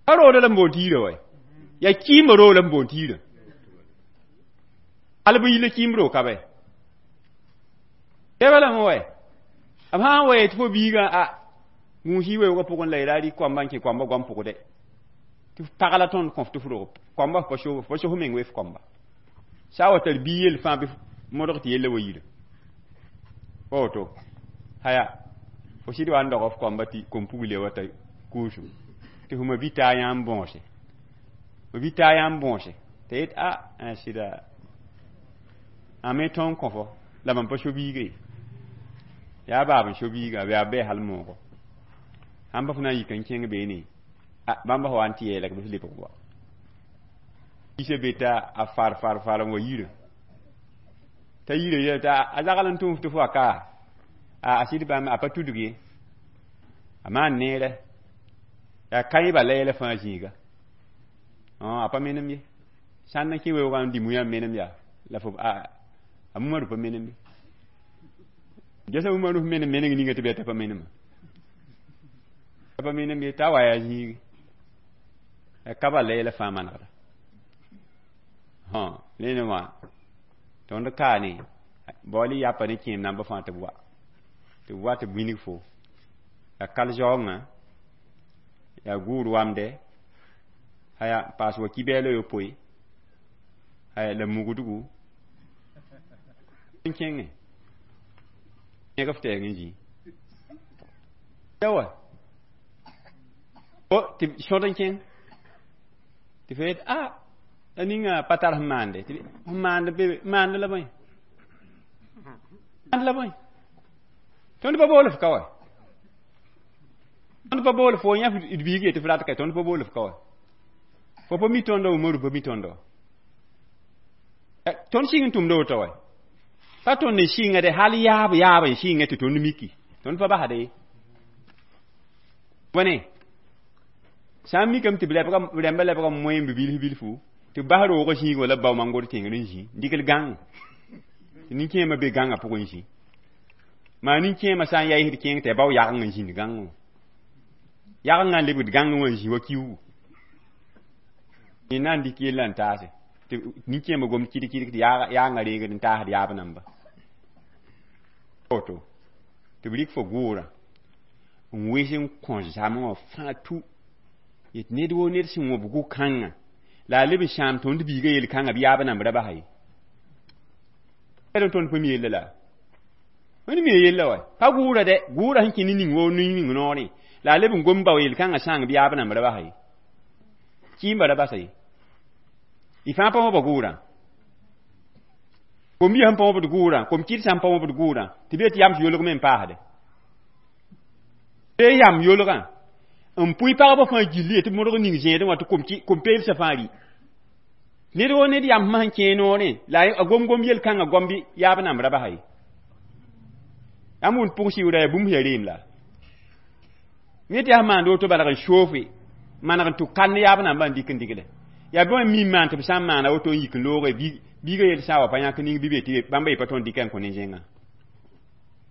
pa rooda la n boond tɩ yirã wa yaa kɩɩmbã roog la n boond tɩ yirã al bɩ yila kɩɩmb roog ka bɛ bɛba lame wa b sã n wa yetɩ fo biigã a gũus-y weoogã pʋgẽ la y ra rɩ koamba n kẽ koamba goam pʋgdɛ tɩ f pag la tõnd kõ f tɩ f rog koamba f pa so f pa so f meng we f koamba sã n wa tar bii yell fãa bɩ modg tɩ yella wa yirã pa woto haya fo sɩd wa n dog f koamba tɩ kom-pugl wa t'a kuusum tɩ f ma bi taa yãmb bõose ma bi taa yãmb bõose t'a yet a n sɩda a me tõe n kõ fo la mam pa so biiga ye yaa baab n so biiga yaa bɩ hal moogo sãn pa fo na n yik n kẽng beene bãmba fa wa n tɩ yeelg bɩ f lebg wa biisã be t'a a far far far n wa yirã t'a yirã yɛl t'a a zagl n tʋm f tɩ fo wa ka a sɩd bãmb a pa tudg ye a maan neerɛ yaa kãebã la yɛla fãa zĩiga a pa menem ye sãn n kẽ weoogã n dɩ muyã n menem yaa la fo a mumaru pa menem ye gesa mumaru f menem meneng ninga tɩ bɩ t'a pa menema pa menem ye t'a wa yaa zĩigi yaa kaba la yɛla fãa manegda nene wã tõnd kaane baool y yapa ne kẽem namba fãa tɩ b wa tɩ b wa tɩ b wilg fo yaa kal zaoongã yaa guur wamdɛ haya paas wa kibɛɛla yopoe haya la mugdgu n kẽngẽ yẽg f tɛɛg n zĩ yawa tɩ sõd n kẽng tɩ fo yet a a ninga pa tar sẽn maande tɩ sẽn maand be maand la bõe maand la bõe tõnd pa bool f ka wa tõnd pa bool fo yã d biig yetɩ f rat ka tõnd pa bool f ka wa fo pa mi tõndo Umaru pa mi tõndo tõnd sɩng n tʋmda woto wa pa tõnd n sɩnga de hal yaab yaab n sɩnga tɩ tõnd miki tõnd pa basda ye bõne sã n mikame tɩ b rãmba lebga moẽ b bilf bilfu tɩ Tɩ b bas roogã zĩigẽ wã la b bao mangor tẽngr n zĩ n dɩk l gãng tɩ nin-kẽemã be gãngã pʋgẽ n zĩ maa nin-kẽemã sã n yaɩsd kẽeng tɩ ya bao yageng n zĩnd gãngẽ wã yagengã n lebgd gãngẽ wã n zĩ wa kiuugu yẽ na n dɩk yellã n taase tɩ nin-kẽemã gomd kɩdg-kɩdg tɩ yaangã reegd n taasd yaab namba woto tɩ b rɩk fo gʋʋrã n wes n kõ zame wã fãa tu yet ned woo ned sẽn wõb gʋ-kãngã la a leb n sãam tõnd biigã yel-kãngã bɩ yaab namb ra basa ye tõnd pa mi yella la wẽnd mi yella wa pa gʋʋra dɛ gʋʋra sẽn kẽ ne ning woo ning noorẽ la a leb n gom bao yel-kãngã sãang bɩ yaab namb ra basa ye kɩɩmba ra basa ye y fãa pa wõba gʋʋrã kom-biã sẽn pa wõbd gʋʋrã kom-kɩd sã n pa wõbd gʋʋrã tɩ bee tɩ yams yolg me n paasde bee yam yolgã n pʋɩ pagba fãa gilli ye tɩ modg ning zẽedẽ wã tɩ kom-peelsã fãa rɩ ned woo ned yam sẽn kẽe noorẽ la a gom-gom yel-kãngã gom bɩ yaab namb ra basa ye yãmb wʋnd pʋg sɩʋʋda yaa bũmb yaa reem la yẽ tɩ yaa maand woto balg n soofe maneg n tʋ kand yaab nambã n dɩk n dɩgle yaa bõe n mi n maan tɩ b sã n maana woto n yik n looge biigã yel sã n wa pa yãk ning bɩ be tɩ bãmba yɩ pa tõnd dɩka n kõ ne-zẽngã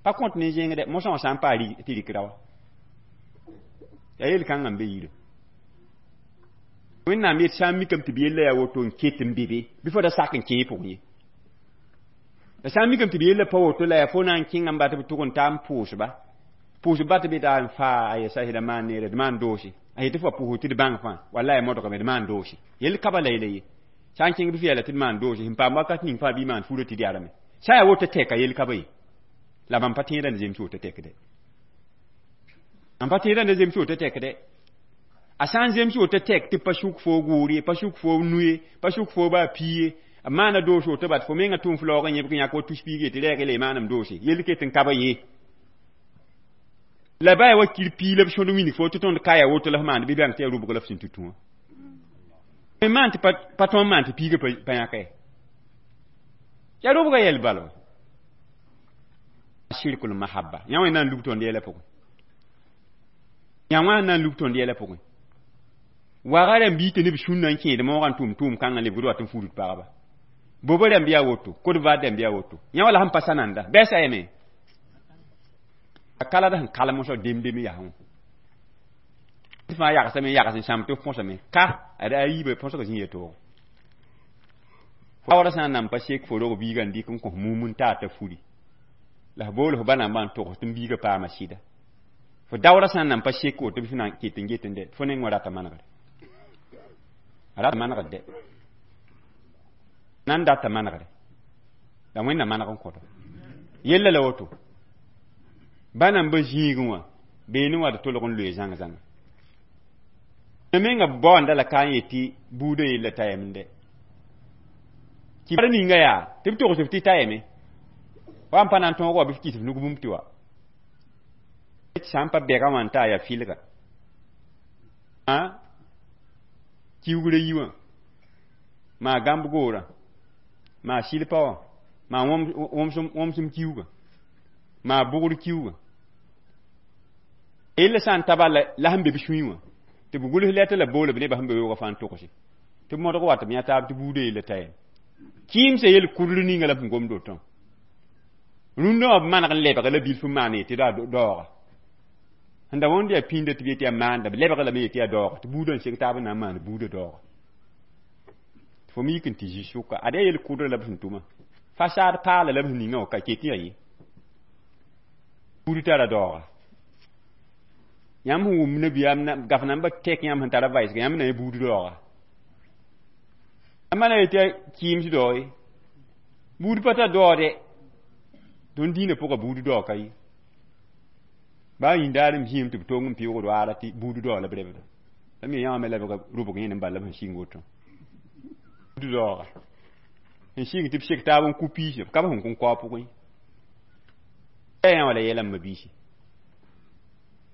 pa kõt ne-zẽng dɛ mosã wã sã n paa tɩ rɩk ra wa yaa yel-kãngã n be yire Wẽnnaam yet sã n mikame tɩ b yella yaa woto n ket n be be bɩ fo da sak n kẽ pʋgẽ ye la sã n mikame tɩ b yella pa woto la yaa fo na n kẽnga n ba tɩ b tʋg n taa n pʋʋsba pʋʋsb ba tɩ be taa n faa a yɛsa d maan neere d maan doose a yetɩ fo pʋʋs tɩ d bãng fãa wallay modgame d maan doose yell ka bala yela ye sã n kẽng bɩ f yɛla tɩ d maan doose sẽn paam wakat ning fãa bɩ maan furã tɩ d yarame sã yaa woto tɛka yell ka ba ye la mam pa tẽedã ne zems woto tɛkde mam pa tẽedã ne zems woto tɛkde a sã n zems woto tɛk tɩ pa suk fo gʋʋr ye pa suk fo nu ye pa suk fo baa pi ye b maana doos woto bat fo menga tʋm f laoog n yẽbg yãk wa tus piig ye tɩ rɛɛg la y maanam doose yell ket n ka ba ye la ba ya wa kir pii la b sõd wĩnig fo tɩ tõnd ka ya woto la f maand bɩ bãng tɩ yaa rʋbg la f sẽn tũ wã maan tɩ pa tõnd maan tɩ piigã pa yãka ye yaa rʋbga yɛl bala shirkul mahabba yã wã na n lub tõnd yɛla pʋgẽ yã wã na n lub tõnd yɛla pʋgẽ waga rãmb bii tɩ neb sũnna n kẽed moogã n tʋm tʋʋm kãngã lebgd wat n fudud pagba bobo rãmb yaa woto kod-vaad rãmb yaa woto yã wã la sẽn pa sananda bɛsa yame a kalad sẽn kalem sã dem-deme yaa wã tɩ fãa yagsame yags n sãam tɩ f põsame ka ad a yiibã põsg zĩ ya toogo waoora sã n nan pa sek fo rog biigã n dɩk n kõ mum n taa t'a furi la f bool f ba nambã n togs tɩ m biigã paama sɩda fo daoora sã n nan pa sek woto bɩ f na n ket n get n dɛ fo neng wã rata manegre a rata manegd dɛ nan data manegre la wẽnna maneg n kõto yella la woto ba namba zĩigẽ wã beene wã d tolg n loe zãng-zãnga menga baoanda la ka n yetɩ buudã yella t'a yam dɛ kɩ ninga yaa tɩ b togs f tɩ ta yame wa n pa na n tõog wa bɩ f kɩs f nug bũmb tɩ wa sã n pa bɛga wã n taa yaa fɩlga kiugrã yi wã maa gãmb goorã maa sɩlpa wã maa wõmsem kiuugã maa bʋgr kiuugã yella sã n ta bala la sẽn be b sũyẽ wã tɩ b gʋls lɛtã la boola b nebã sẽn be weoogã fãa n togse tɩ b modg wat b yã taab tɩ buudã yella ta yam kɩɩmsã yel kudr ninga la b sẽn gomd wotõ rũndã wã b maneg n lebg la bilf n maan yetɩ daooga sẽn da wõnd yaa pĩnda tɩ b yetɩ yaa maanda b lebg lame yetɩ yaa daooga tɩ buudã n seg taab n na n maan buudã daooga fo me yik n tɩ zĩ sʋka ad yaa yel kudr la b sẽn tʋma fasaad paala la b sẽn ninga wã ka ket yaa ye buud tara daooga yãmb sẽn wʋm nabiyaam gaf nambã tɛk yãmb sẽn tara vaɩsga yãmb na yã buud daooga yãmb na yetɩ kɩɩms dao ye buud pa tar daoode tõnd dĩinã pʋga buud dao ka ye baa yĩndaar n zĩem tɩ b tong n pɩʋgd waara tɩ buud dao la b rebda la me yã wã me lebga rʋbg yẽnd n bal la b sẽn sɩng woto buud daooga sẽn sɩng tɩ b sek taab n ku piisã b ka b sẽn kõn kao pʋgẽ yã wã la yɛla m mabiisi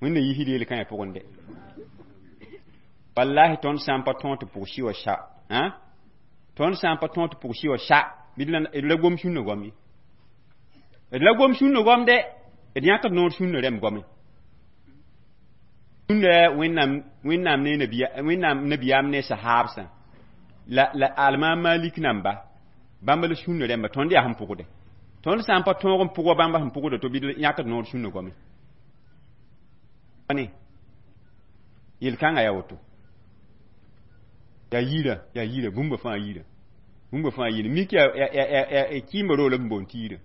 wẽnna yiisd yel-kãyã pʋgẽ dɛ wallahi tõnd sã n pa tõog tɩ pʋg sɩ wa sa tõnd sã n pa tõog tɩ pʋg sɩ wa sa d la gom sũnna goam ye d la gom sũnna goam dɛ d yãkd noor sũnna rãmb goame sũnna wẽnnaam ne nabiyaam ne sahaabsã La alma Malik namba bãmb la sũnna rẽmba tõnd yaa sẽn pʋgde tõnd sã n pa tõog n pʋg wa bãmba sẽn pʋgda to bɩ yãkd noor sũnna goame ne yel-kãngã yaa woto yaa yira yaa yira bũmba fãa yira bũmba fãa yira mik yaa kɩɩmba roog la b boond tɩ yira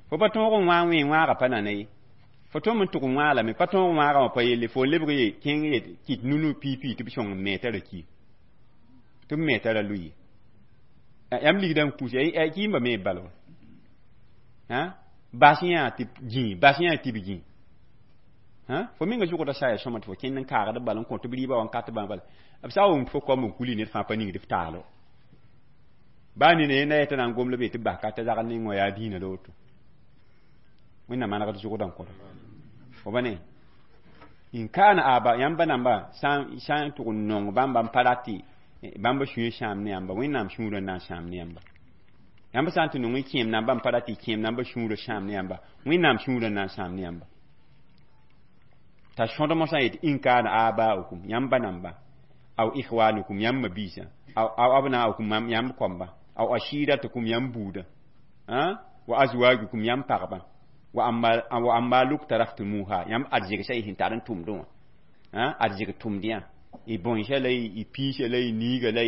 fo pa tõog n wã wẽ wãagã pa nana ye fo tõm n tʋg n wãa lame pa tõog n wãagã wã pa yelle fo lebg ye kẽng ye kɩt nunu pipi tɩ b sõng n me t'a ra ki tɩ b me t'a ra lʋ ye yãmb ligdã n kus kɩɩmba me bala wa bas yã tɩ gĩ bas yã tɩ b gĩ fo menga zʋgda saya sõma tɩ fo kẽnd n kaagd bala n kõ tɩ b rɩɩba wa n kat bãmb bala b sã n wʋm tɩ fo koam n kuli ned fãa pa ningd f taalo baa nina yẽ na yetã na n gom la be tɩ bas ka t'a zagl ning wã yaa dĩinã la woto wẽnnaam manegd zʋgdã n kõta fo ba ne in kaana aba yãmb namba sã n tʋg n nong bãmba n pa rat tɩ bãmba sũyã sãam ne yãmba wẽnnaam sũurã n na n sãam ne yãmba yãmb sã n tɩ nong n kẽem namba n pa rat tɩ kẽem namba sũurã sãam ne yãmba wẽnnaam sũurã n na n sãam ne yãmba t'a sõd mosã yet in kaana abaukum yãmba namba aw ikhwanukum yãmb mabiisã aw abnaukum yãmb koamba aw ashiratukum yãmb buudã wa azwajukum yãmb pagba wa amwaluk taraftumuha yãmb arzegsã y sẽn tar n tʋmdẽ wã arzeg tʋmdẽ y bõnsã la y piisã la y niiga la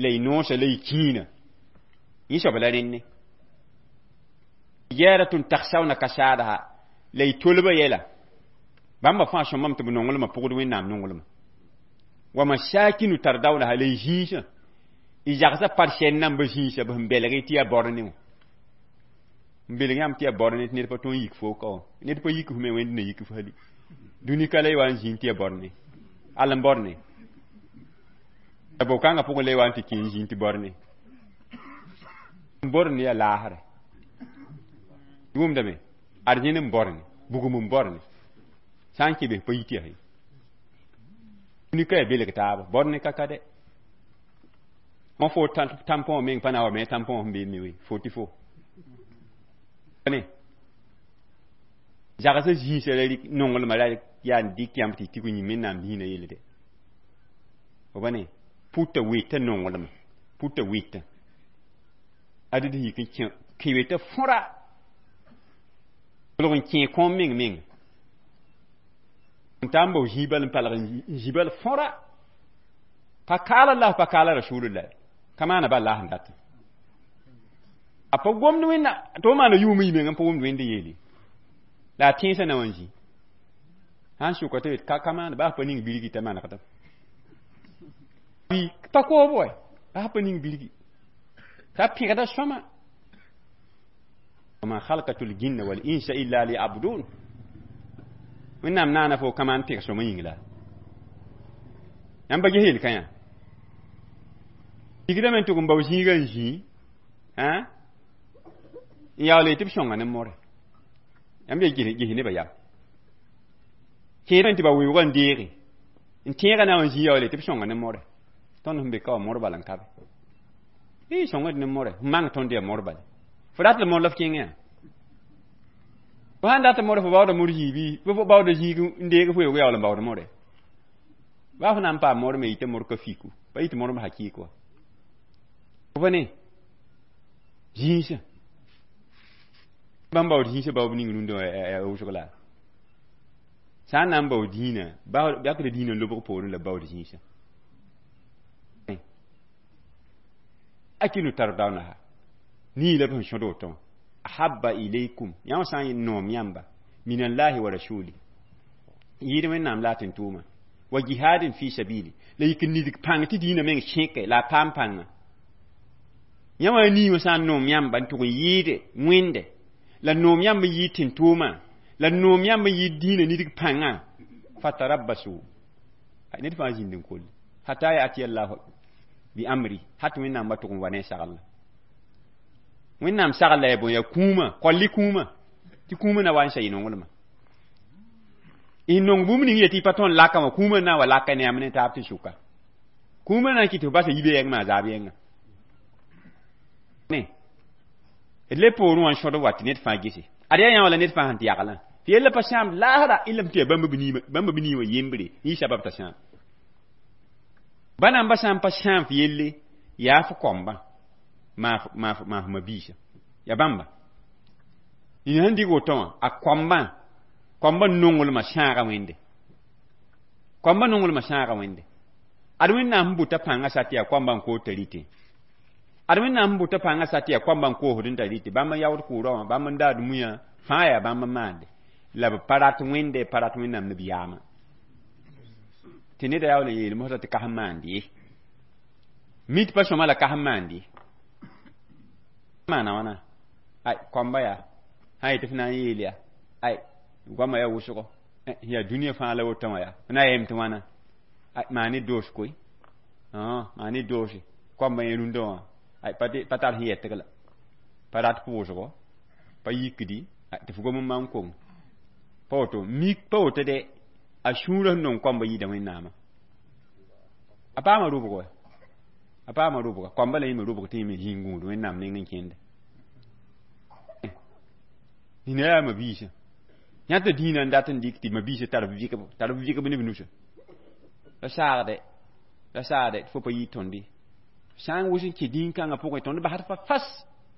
y noosã la y kĩinã yẽ soab la rẽnne tijaratun takhshawna kasadaha la y tolba yɛla bãmba fãa sõmame tɩ b nonglmã pʋgd wẽnnaam nonglmã wa masakinu tardawnaha la y zĩisã y zagsã par sɛn namba zĩisã b sẽn belg tɩ yaa bor ne wã n belg yãmb tɩ yaa bor ne tɩ ned pa tõe n yik fo ka wã ned pa yik f me wẽnd na yik f hali dũni ka la y wa n zĩnd tɩ yaa bor ne all n bor ne la bo-kãngã pʋgẽ la y wa n tɩ kẽ n zĩnd tɩ bor ne n bor ne yaa laasre wʋmdame ad yẽnd n bor ne bugum n bor ne sã n kẽ bes pa yit yaa ye dũni ka yaa belg taaba bor ne ka ka dɛ wã fo tampõ meng pa na wa me tampõ sẽn bee me we fo tɩ fo ne zagsã zĩisã la nonglmã la yaa n dɩk yãmb tɩ tɩ yĩm wẽnnaam dĩinã yelle dɛ fo ba ne pʋta weta nonglmã pʋta weta ad d yik n kẽ weta fõra kolg n kẽ kõom meng meng n taa n bao zĩig bal n palg n zĩ bal fõra pa kaala la pa kaala rasulullah ka maana bal la sẽn dat a pa gomd wẽnna tɩ f maana yʋʋm y meng n pa wʋmd wẽnd yeele la a tẽesã na wã n zĩ sã n sʋka tɩ ka maana baa pa ning birgi t'a manegdam pa koob wa baa pa ning birgi t'a pẽgda sõma wama khalqatu ljinna wal insa illa liyabudun wẽnnaam naana fo ka maan pẽg sõma yĩng la yãmb pa ges yel-kã yã tigdame n tʋg n bao zĩigã n zĩ n yaool tɩ b sõnga ne more yãmb ya ges nebã yam kẽedame tɩ ba weoogã n deege n tẽegã na n zĩ yaool tɩ b sõnga ne more tõnd sẽn be ka wã mor bala n ka be y sõngd ne more f mang tõnd yaa mor bala fo rat la mor la f kẽngẽ yã fo sãn dat more fo baooda mor zĩig bɩ fo baooda zĩig n deeg f weoog yaool n baood more baa fo na n paam mor me yita mor ka fiku pa yit mor hakik wa fo pa ne zĩisã bãmb baood zĩisã baoob ning rũndã wʋsg la sã n na n baood dĩinã yakda dĩinã n lobg poorẽ la baood zĩisã akinu tardawnaha nii la b sẽn sõd woto wã ahabba ilaykum yã wã sã n noom yãmba min allahi wa rasuli yɩɩd wẽnnaam la a tɩ n tʋʋma wa jihadin fi sabili la yik n nidg pãng tɩ dĩinã meng sẽke la a paam pãnga yã wã nii wã sã n noom yãmba n tʋg n yɩɩde wẽnde la noom yãmb n yɩɩd tɩ n tʋʋma la noom yãmb n yɩɩd dĩinã nidg pãngã fatarabbasu ned fãa zĩnd n kolle hata yatiya llahu bi amri hat wẽnnaam wa tʋg n wa ne sagl wẽnnaam sagl la ya bõe ya kũumã kolli kũumã tɩ kũumã na wa n sa y nonglmã y nong bũmb ning yetɩ y pa tõnd laka wã kũumã na n wa laka ne yãmb ne taab tɩ sʋka kũumã na n kɩt tɩ f basa yibe yɛng maa zaab yɛnga ne d le poorẽ wã n sõd wa tɩ ned fãa gese ad yaa yã wã la ned fãa sẽn tɩ yaglã tɩ yella pa sãam laasra y lame tɩ yaa bãmb b nii wã yembre yẽ sabab t'a sãam ba namba sã n pa sãam f yelle Yaa f kombã maaf mabiisã ya bãmba nina sẽn dɩg woto wã a kombã kombã nonglmã sãaga wẽnde kombã nonglmã sãaga wẽnde ad Wẽnnaam sẽn bʋta pãngã sa tɩ yaa koambã n koos t'a rɩtẽ ad Wẽnnaam sẽn bʋta pãngã sa tɩ yaa koambã n koosd n t'a rɩtẽ bãmb n yaood kʋʋrã wã bãmb n daad muiyã fãa yaa bãmb n maande la b pa rat wẽnde pa rat Wẽnnaam ne b yaamã tɩ neda yaool n yeel mosã tɩ ka sẽn maand ye mi tɩ pa sõma la ka sẽn maand ye maana wãna ay koamba yaa sã yetɩ f na n yeel yaa ay goamã yaa wʋsgo yaa dũniyã fãa la woto wã yaa f na yeem tɩ wãna ay maa ne doos koe maa ne doose koambã yẽ rũndã wã ay pa tar sẽn yɛtg la pa rat pʋʋsgo pa yikdi tɩ f gom n maan kong pa woto mik pa woto de a sũurã sẽn nong koambã yida Wẽnnaamã a paama rʋbg wa a paama rʋbga koambã la yẽme rʋbg tɩ yẽme zĩig gũud Wẽnnaam neng n kẽnde nina yaa mabiisã yãta dĩinã n dat n dɩk tɩ mabiisã tar b vɩkb ne b nusã la saagde tɩ fo pa yɩ tõnd ye sã n wʋs n kẽ dĩn-kãngã pʋgẽ tõnd basd fa fas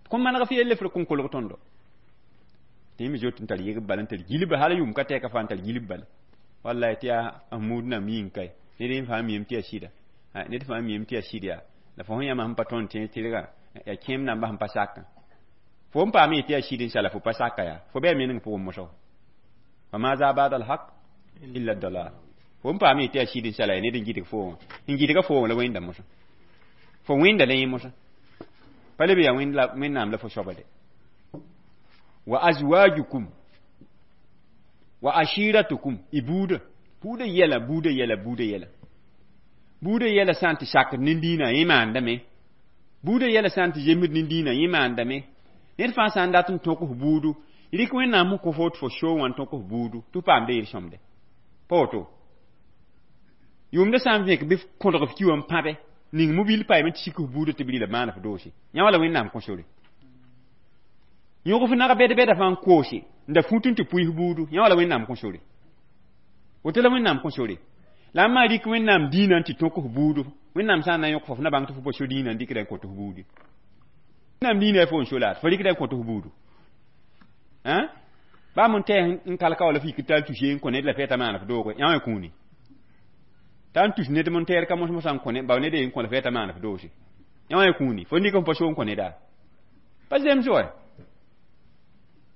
kõn maneg f yelle f r kõn kolg tõndo tɩ yẽme zoet n tar yegb bala n tar gilba hal yʋʋm ka tɛka fãa n tar gilb bala wallahi tɩ yaa n muud nam yĩng kae ned yẽ fãa miame tɩ yaa sɩda ned fãa miame tɩ yaa sɩd yaa la fo sẽn yãma sẽn pa tõnd tẽ tɩrgã yaa kẽem namba sẽn pa sakã fo n paam yetɩ yaa sɩd n sala fo pa saka yaa fo bɩ a meneng pʋgẽ mosgo fa maza ba'da al-haq illa ad-dalal fo n paam yetɩ yaa sɩd n sala yaa ned n gɩdg fo wã n gɩdga fo wã la wẽnda mosã fo wẽnda la yẽ mosã pa leb yaa Wẽnnaam la fo soaba de wa azwajukum wa ashiratukum y buudã buudã yɛla buudã yɛla buudã yɛla buudã yɛla sã n tɩ sakd nin-dĩinã yẽ maandame buudã yɛla sã n tɩ zemsd nin-dĩinã yẽ maandame ned fãa sã n dat n tõk f buudu rɩk Wẽnnaam sẽn kõ fo tɩ fo soo wã n tõk f buudu tɩ f paamda yel-sõmde pa woto yʋʋmdã sã n vẽk bɩ f kõdg f ki wã n pãbe ning mobil paame tɩ sik f buudã tɩ b rɩla maana f doose yã wã la Wẽnnaam kõ sore yõg f nag bɛd-bɛda fãa n koose n da fũut n tɩ pʋɩ f buudu yã wã la Wẽnnaam kõ sore woto la Wẽnnaam kõ sore la n maa rɩk Wẽnnaam dĩinã n tɩ tõk f buudu Wẽnnaam sã n na n yõk fo f na bãng tɩ fo pa so dĩinã n dɩkda n kõt f buudu Wẽnnaam dĩinã yaa fo n so la fo rɩkda n kõt f buudu baa mon tɛɛ n kalka wala f yik t'a n tus ye n kõ ned la fɛɛta maan f dooge yã wã kũuni t'a n tus ned mon tɛɛr ka mos-mosã n kõ ne bao ned ye n kõ la fɛɛta maan f doose yã wã kũuni fo nik f pa so n kõ neda pa zems wa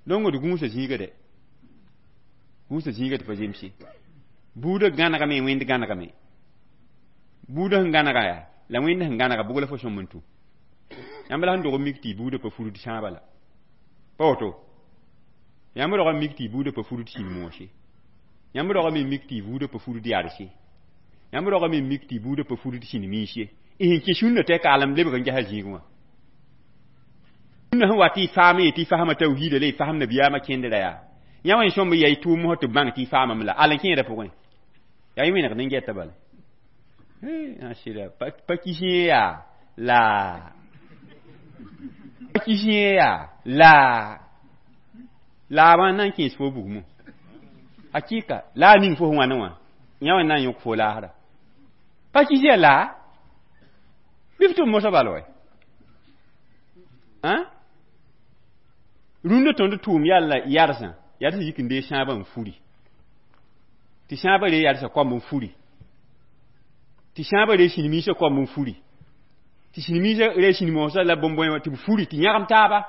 donc d gũusa zĩiga de gũusa zĩiga tɩ pa zemse buudã gãnegame wẽnd gãnegame buudã sẽn gãnega yaa la wẽnd sẽn gãnega bʋg la fo sõm n tũ yãmb la sẽn dog n mik tɩ y buudã pa furd sãaba la pa woto yãmb rog n mik tɩ y buudã pa furd sĩn-moose yãmb rog n mik tɩ y buudã pa furd yarse yãmb rog n mik tɩ y buudã pa furd sĩn-miis ye y sẽn kẽ sũnna tɩ kaalem lebg n gesa zĩig wã sũnna sẽn wa tɩ y faam ye tɩ y fasma tawhiida la y fasm nabiyaamã kẽndra yaa yã wã sõmb yaa y tʋʋm mosã tɩ b bãng tɩ y faamame la al n kẽeda pʋgẽ yaa y wẽnegd n gɛta bala sɩda pa kis yẽ yaa la pa kis yẽ yaa la la wã na n kẽes fo bugmo hakika la a ning fo sẽn wãne wã yã wã na n yõk fo laasra pa kis yaa la bɩ f tʋm mosã bal wɛ rũndã tõnd tʋʋm yaa la yarsã yarsã yik n dee sãabã n furi tɩ sãabã ree yarsã koamb n furi tɩ sãabã ree sĩnmiisã koamb n furi tɩ sĩnmiisã ree sĩn-moosã la bõn-bõe wã tɩ b furi tɩ yãgem taaba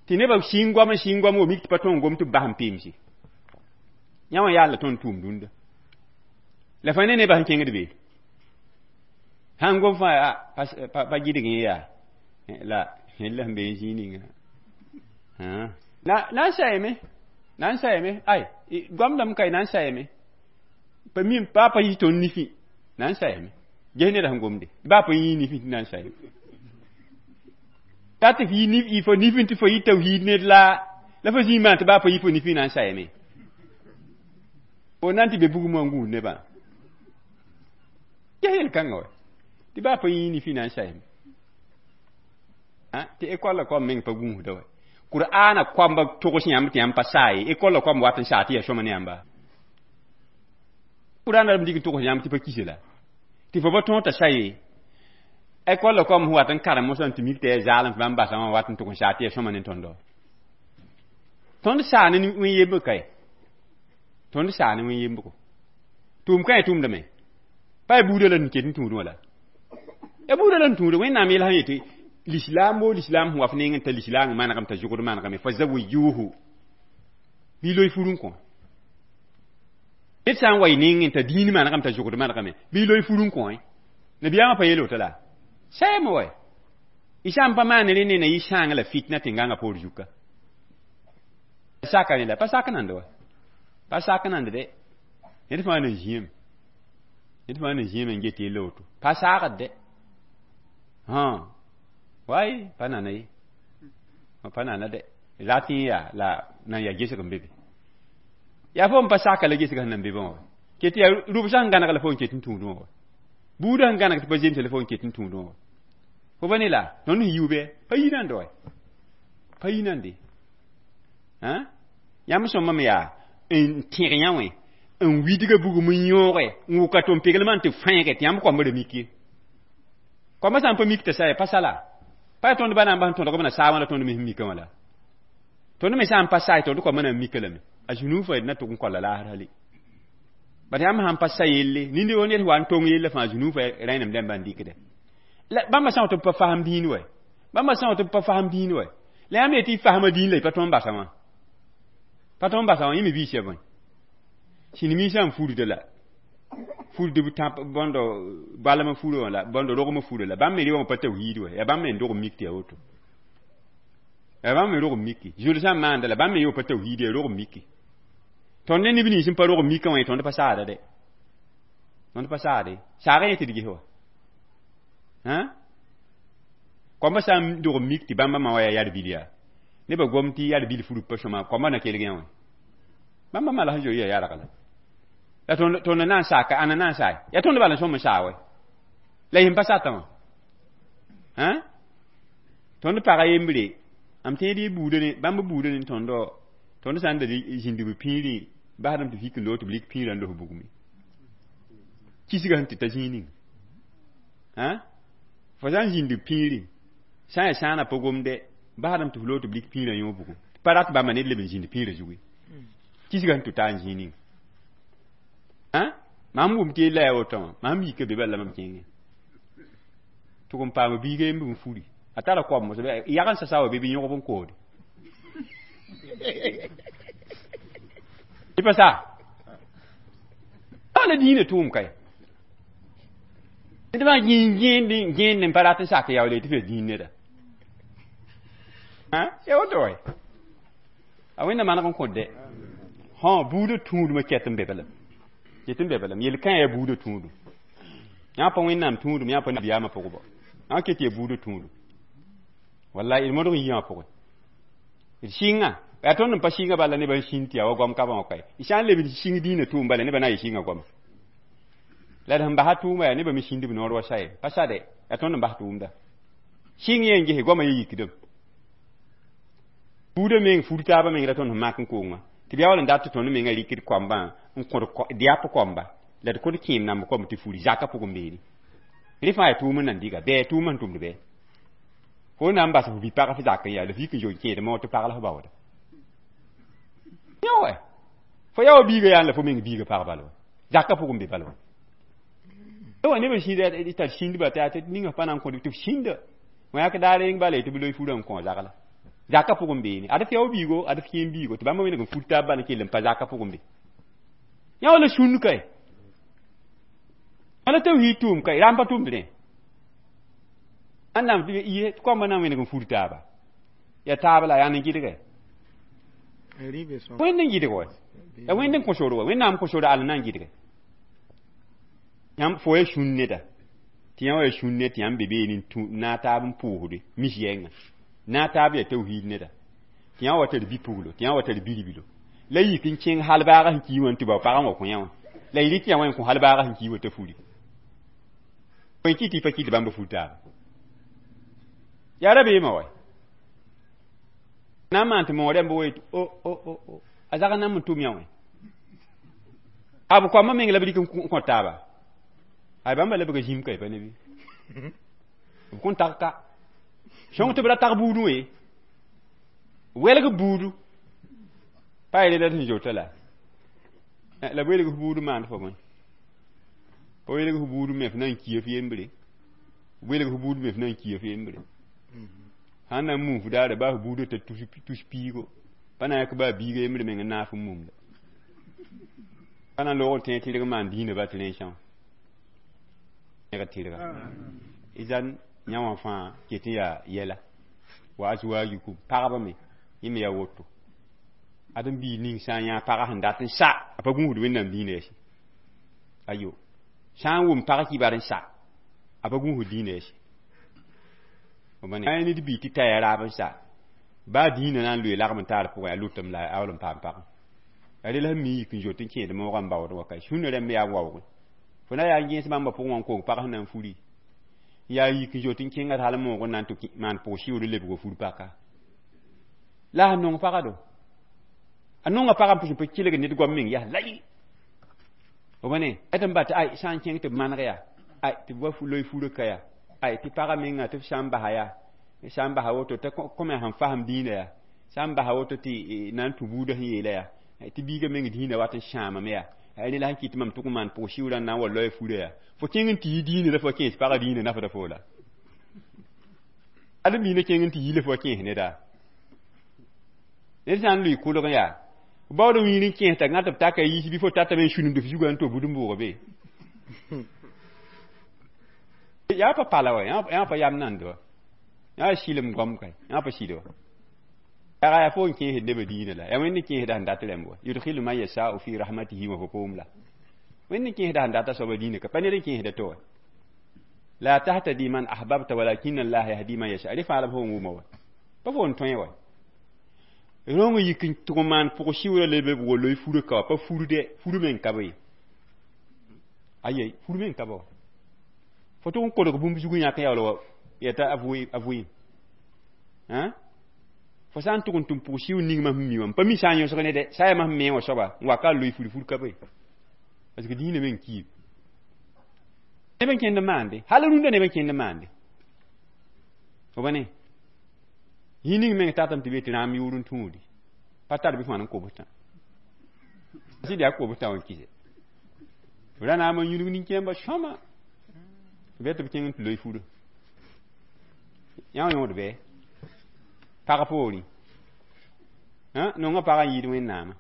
tɩ nebã sɩng goam n sɩng goam wa mik tɩ pa tõog n gom tɩ b bas n peemse yã wã yaa la tõnd tʋʋm dũnda la fãa ne nebã sẽn kẽngd be sãn gom fãa pa gɩdg yẽ yaa la la sẽn be n zĩig ninga na n sayame na n sayame ay goamdame ka na n sayame pa mim pa pa yɩ tõnd nifẽ na n sayame ges neda sẽn gomde baa pa yĩ nifẽ tɩ na n sayame ta tɩ f yɩ fo nifẽ tɩ fo yɩ tawhiid ned la la fo zĩig maan tɩ baa pa yɩ fo nifẽ na n sayame fo na n tɩ be bugum wã n gũud nebã ges yel-kãngã wa tɩ baa pa yĩ nifẽ na n sayame tɩ école koam meng pa gũusda wa Qur'ana koamba togs yãmb tɩ yãmb pa saa ye école koam wat n saa tɩ yaa sõma ne yãmba Qur'ana b dig n togs yãmb tɩ pa kise la tɩ fo pa tõog t'a sa ye École la kom wat n karem mosã tɩ mik tɩ yaa zaalem tɩ bãmb basã wã wat n tʋg n saa tɩ yaa sõma ne tõndo. Tõnd saa ne wẽn-yembg kae. Tõnd saa ne wẽn-yembgo. Tʋʋm kã yaa tʋʋmdame. Pa yaa buudã la n ket n tũudẽ wã la. Ya buudã la n tũuda Wẽnnaam yɛl sã yetɩ lislaam bo lislaam sẽn wa f neng n ta lislaang manegem t'a zʋgd manegame fa zawijuhu bɩ loe fur n kõ. Ned sã n wa y nengẽ t'a dĩin manegem t'a zʋgd manegame bɩ loe fur n kõ. Nabiyaamã pa yeel woto la. Sɛɛme wa. Y sã n pa maan rẽ ne na yɩ sãang la fitna tẽn-gãngã poor zuka. Saka ne la pa sak nand wa. Pa sak nand de. Ned fãa na zĩem. Ned fãa na zĩem n get yella woto. Pa saagd de. Hã. Wai pa nana ye. Pa nana de. Rat yẽ yaa la nan yaa gesg n be be. Yaa fo n pa saka la gesg sẽn nan be bã wa. Ket yaa rʋbsã sẽn gãneg la fo n ket n tũudẽ wã wa. Buudã sẽn gãneg tɩ pa zemse la fo n ket n tũudẽ wã wa. Fo ba ne la tõnd sẽn yiu bɩ pa yi nande wa. Pa yi nande. Hã? Yãmb sõma me yaa n tẽg yã wẽ n widga bugum n yõoge n wʋka tʋm peglmã n tɩ fãeege tɩ yãmb koambã ra mik ye. Koambã sã n pa mik t'a sa pa sa la. Pa yaa tõnd ba na n bas n tõdg b na saabã la tõnd me sẽn mikã wã la. Tõnd me sã n pa sa tõnd koambã na n mika lame. A zũnu fa d na tʋg n koala laasr hali. Bat yãmb sãn pa sa yelle, nindi wo ned wa n tong yella fãa zũnu fa rẽnem dẽmba n dɩkde. La bãmba sã n tɩ b pa fasem dĩin wɛ. Bãmba sã n tɩ b pa fasem dĩin wɛ. La yãmb yetɩ y fasma dĩin la y pa tõe n basa wã. Pa tõe n basa wã, yẽ me biis ya bõe. Sĩnimiisã n furda la. Furd b tãp bõndo balmã furã wã la, bõndo rogmã furã la. Bãmb me reoongã pa tawhiid wɛ. Yaa bãmb me n dog n mik tɩ yaa woto. Yaa bãmb me rog n miki. Zʋl sã n maanda la bãmb me yeo pa tawhiid yaa rog n miki. Tõnd ne neb nins n pa rog n mikã wã tõnd pa saada de. Tõnd pa saade. Saagã yẽ tɩ d ges wa. Hã? Koambã sã n dog n mik tɩ bãmba ma wa yaa yar bil yaa. Nebã gom tɩ yar bil furub pa sõma, koambã na kelg yã wã. Bãmba ma la sẽn zoe yaa yarg la. La tõnd na n saaka, ãnna na n saay. Yaa tõnd bala n sõm n saa wɛ. La yẽn pa satã wã. Hã? Tõnd pag a yembre, am tẽed y buudã ne, bãmb buudã ne tõndo, tõnd sã n da zĩnd b pĩirẽ, basdame tɩ fik n loog tɩ b lik pĩirã n los bugme. Kisgã sẽn tɩ ta zĩig ning. Hã? Fo sã n zĩnd b pĩirẽ, sã n yaa sãanã pa gomde, basdame tɩ f loog tɩ b lik pĩirã yõ bugum. Pa rat bãmba ned leb n zĩnd pĩirã zugu. Kisgã sẽn tʋ taa n zĩig ning. Hã? Mam wʋm tɩ yella yaa woto wã, mam yika be bala la mam kẽngẽ. Tʋg n paam biiga yemb n furi. A tara koam mos, yag n sasa wa be bɩ yõgb n koode. Tɩ pa sa. La dĩinã tʋʋm kae. Ned fãa gẽend gẽend n pa rat n sak yaoole tɩ f yaa dĩin neda. Hã? Yaa woto wɛ. A Wẽnda maneg n kõt dɛ. Hã, buudã tũudmã ket n be bala. Ket n be bala. Yel-kã yaa buudã tũudum. Yã pa Wẽnnaam tũudum, yã pa nabiyaamã pʋgba. Yã ket yaa buudã tũudum. Wallahi, d modg n yɩ wã pʋgẽ. D sɩnga, yaa tõnd n pa sɩnga bala nebã n sĩnd tɩ yaa wa goam ka wã kae. Y sã n leb n sɩng dĩinã tʋʋm bala nebã na n yɩ sɩnga goama. La d sẽn basa tʋʋma yaa nebã me sĩnd b noor wa sa ye. Pa sa dɛ, yaa tõnd n bas tʋʋmda. Sɩng yẽ n gese goamã ye yikdem. Buudã meng fur taabã meng ra tõnd sẽn mak n koongã. Tɩ b yaool n dat tɩ tõnd mengã rɩkd koambã n kõd dɩap koamba la d kõd kẽem namb koam tɩ furi zakã pʋgẽ beene. Rẽ fãa yaa tʋʋm n nan dɩga, bɩ tʋʋm sẽn tʋmd bɩ. Fo na n bas f bi-pag f zak n yaa la f yik n zoe n kẽed moog tɩ pag la f baooda. Yã wɛ. Fo yaa wa biiga yaa la fo meng biiga pag bala wa. Zakã pʋgẽ be bala wa. Wa nebã sĩida tar sĩndba tɩ yaa tɩ ninga pa na n kõd tɩ f sĩnda. Wã yak daar yeng bala tɩ b loe furã n kõ zagla. Zakã pʋgẽ beene. Ad f yao biigo, ad f kẽem biigo tɩ bãmba wẽneg n fur taab bala n kell n pa zakã pʋgẽ be. Yã wa la sũnd kae. Wala tawhiid tʋʋm kae, rãmb pa tʋmd rẽ. Ãnnam tɩ yɩ koambã na n wẽneg n fur taaba. Yaa taab la yaa n gɩdge. Wẽnd n gɩdg wa. Ya wẽnd n kõ sor wa. Wẽnnaam kõ sor al n na n gɩdge. Yãmb fo ya sũnd neda. Tɩ yã wa ya sũnd ned tɩ yãmb be beene n tũ na taab n pʋʋsde mis yɛnga. Na taab yaa tawhiid neda. Tɩ yã wa tar bi-puglo, tɩ yã wa tar biribilo. La yik n kẽng hal baaga sẽn ki wã n tɩ bao pagã wã kõ yã wã. La y rɩk yã wã n kõ hal baaga sẽn ki wã t'a furi. Bõe kɩ tɩ y pa kɩt bãmb fur taaba. Yaa rabeemã wa. Na n maan tɩ moog rãmb wa yetɩ o o o o a zag n na n tʋm yã wã. A b koambã meng la b rɩk n kõ taaba. Ay bãmba lebga zĩm ka pa ne bɩ. B kõn tag ka sõng tɩ b ra tag buudẽ we welg buudu pa yele la sẽn zoeta la la b welg f buud maand fo bõe pa welg f buud me f na n kia f yembre welg f buud me f na n kia f yembre sã n na n mum f daara baa f buudã t'a tus piigo pa na n yãk baa biiga yembre meng n naaf n mumda pa na n loog n tẽ tɩrg n maan dĩinã ba tɩ rẽnsã tɩrga izan yã wã fãa ket n yaa yɛla wa azwajukum pagba me yẽ me yaa woto ãdem-biig ning sã n yã pagã sẽn dat n sa a pa gũusd Wẽnnaam dĩinã yɛs ayo sã n wʋm pag kibar n sa a pa gũusd dĩinã yɛs a ned bii tɩ taya raab n sa baa dĩinã na n loe lagm n taar pʋgẽ a lʋtame la a wall n paam pagã ya rel sẽn mi yik n zoet n kẽed moogã n baood wa ka sũnã rãmb yaa n waoogẽ fo na yaa n gẽes bãmba pʋgẽ wã n kong pag sẽn na n furi yaa yik n zoet n kẽnga hal moog n na n tɩ maan pʋg-sɩʋʋd n lebg fur paka la a nong pagã do a nonga pagã n pʋs n pa kelg ned goam meng yaa layi b ne tɩ n bat ay sã n kẽng tɩ b maneg yaa ay tɩ b wa loe furã ka yaa ay tɩ pagã menga tɩ b sã n basa yaa sã n basa woto t'a kõme sẽn fasem dĩinã yaa sã n basa woto tɩ na n tũ buudã sẽn yeela yaa tɩ biigã meng dĩinã wat n sãamame yaa rẽ la sẽn kɩt mam tʋg n maan pʋg-sɩʋʋrã n na n wa loe furã yaa fo kẽng n tɩ yi dĩinã la fo kẽes pagã dĩinã nafda fo la ãdem-biigã kẽng n tɩ yi la fo kẽes neda ned sã n lʋɩ kʋlg yaa baood wĩir n kẽes t'a gã tɩ b taka yiis bɩ fo tatame n sũnimd f zugã n to bud n bʋʋga be yaa pa pala wa yaa pa yam nand wa yaa sɩlem goam ka yaa pa sɩd wa yaa yaa fo n kẽesd nebã dĩinã la yaa Wẽnd n kẽesda sẽn dat rẽmb wa yudkhilu man yashau fi rahmatihi wa fo poom la Wẽnd n kẽesda sẽn data soaba dĩinã ka pa ned n kẽesda to wa la tahtadi man ahbabta walakin Allah yahdi man yasha rẽ fãa la b fo n wʋma wa pa fo n tõe wa rõng yik n tʋg n maan pʋg-sɩʋʋrã leb b wa loe furã ka wa pa furde fur meng ka be ye aye fur meng ka be wa fo tʋg n kolg bũmb zug n yãk n yaool wa yɛta a vʋɩɩm fo sã n tʋg n tʋm pʋg-sɩʋʋr ning mam sẽn mi wã n pa mi sã n yõsg ne dɛ sã n yaa mam sẽn me wã soaba n wa ka loe fur fur ka be parce que dĩinã meng kiib neb n kẽnd n maande hal rũndã neb n kẽnd n maande fo ba ne yĩ ning meng tatame tɩ be tɩ rãam yʋʋr n tũudi pa tar bɩ fãa n kobstã sɩd yaa kobstã wã kɩse ra naam n yũnug nin-kẽembã sõma bɩ tɩ b kẽng n tɩ loe furã yã wã yõod bɩ pag poorẽ nongã pagã n yɩɩd Wẽnnaamã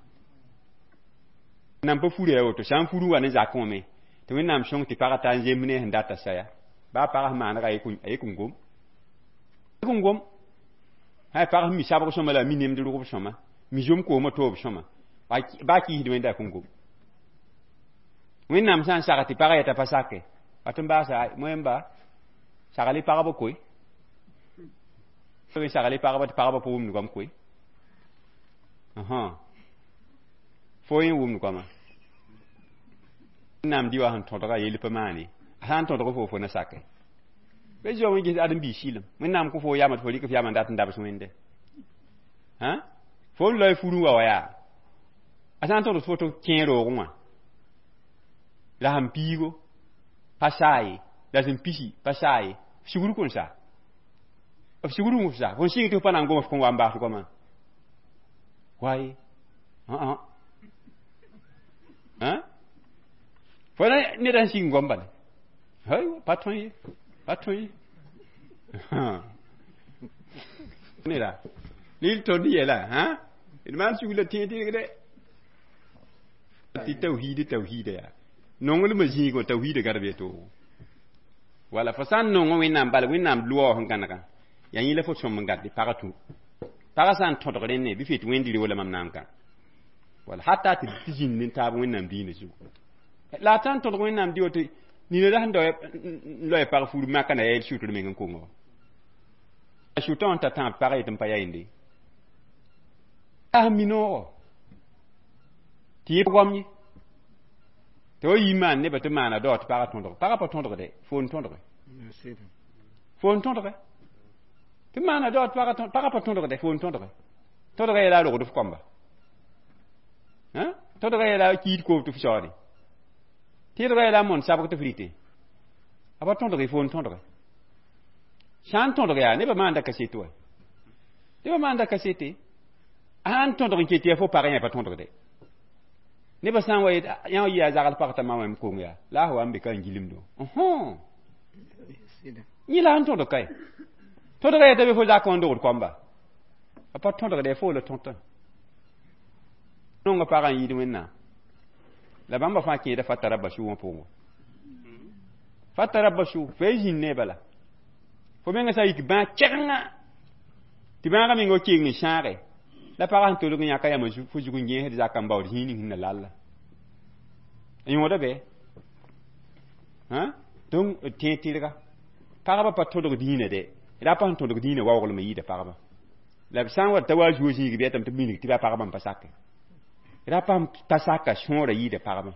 nan pa fura ya woto sã n fur n wa ne zakẽ wã me tɩ Wẽnnaam sõng tɩ pagã ta n zemb ne sẽn data saya baa pag sẽn maanega a yek n gom n gom sã pag sẽn mi sabg sõma la a mi nemd rʋgb sõma mi zom koomã toob sõma baa kiisd Wẽnda a kõn gom Wẽnnaam sã n sag tɩ pagã yeta pa sake wat n baasa moẽmba sagl pagba koe sagl pagba tɩ pagba pa wʋmd goam koe fo yẽ wʋmd goama Wẽnnaam dɩ wa sẽn tõdga yell pa maane a sã n tõdg fo fo na sake bɩ zoa wẽ ges ãdem-biig sɩlem Wẽnnaam kõ fo yama tɩ fo rɩk f yama n dat n dabs Wẽnde fo n loe furẽ wa wa yaa a sã n tõdg tɩ fo tɩ kẽ roogẽ wã la sẽn piigo pa saa ye la sẽn pisi pa saa ye f sugr kõn sa f sugr f sa fo n sɩng tɩ f pa na n gom f kõn wa n baas goamã waye fo na ned sẽn sɩng goam bala hay pa tõe ye pa tõe ye neda lil tõnd yɛla d maan sugr la tẽeg tɩrgdɛ tɩ tawhiid tawhiida yaa nonglmã zĩigã tawhiida gad b toogo wala fo sã n nong Wẽnnaam bala Wẽnnaam loa sẽn gãnega yaa yẽ la fo sõm n gãd pagã tũ pagã sã n tõdg rẽnne bɩ fɩ tɩ Wẽnd wala mam na n kã wala hata tɩ zĩnd ne taab Wẽnnaam diinã zugu la a sã n tõdg Wẽnnaam dɩ woto nina la sẽn n loe pag fur makã na yaa sʋtr meng n kongo wa a sʋtã wã n ta tãab pagã yetɩ n pa yaa yende a sẽn mi noogo tɩ yẽ goam ye tɩ wa yi maan nebã tɩ maana dao tɩ pagã tõdg pagã pa tõdgde fo n tõdge fo n tõdge tɩ maana dao tɩ pagã pa tõdgde fo n tõdge tõdga yɛla a rogd f kɔmba tõdga yɛla a kiid koob tɩ f saoode tɩdga yɛla a mon sabg tɩ f rɩte a pa tõdge fo n tõdge Sã n tõdg yaa nebã maanda kaset wa, nebã maanda kasete. A sã n tõdg n ket tɩ yaa fo pag yã pa tõdgde. Nebã sã n wa yet yã yɩ yaa zagl pag t'a ma wẽm kong yaa la a wa n be ka n gilmdo. Yẽ la n tõdg kae. Tõdga yaa t'a be fo zakã wã n dogd koamba. A pa tõdgd fo la tõtã. Nonga pagã n yɩɩd Wẽnnaam. La bãmba fãa kẽeda fatarabbasu wã pʋgẽ. Fatarabbasu fo ya zĩnd ne bala. Fo menga sã n yik bãag kɛgenga tɩ bãagã meng wa keng n sãage la pagã sẽn tolg n yãka yãmb fo zug n gẽesd zakã n baood zĩig ning sẽn na lalla. N yõoda bɩ? Donc d tẽeg tɩrga. Pagba pa tõdg dĩinã dɛ. Rapa sẽn tõdg dĩinã waooglem n yɩɩda pagba. La b sã n wa t'a wa zuo zĩig bɩ tɩ b minig tɩ baa pagba n pa sake. Rapa n pa saka sõora yɩɩda pagba.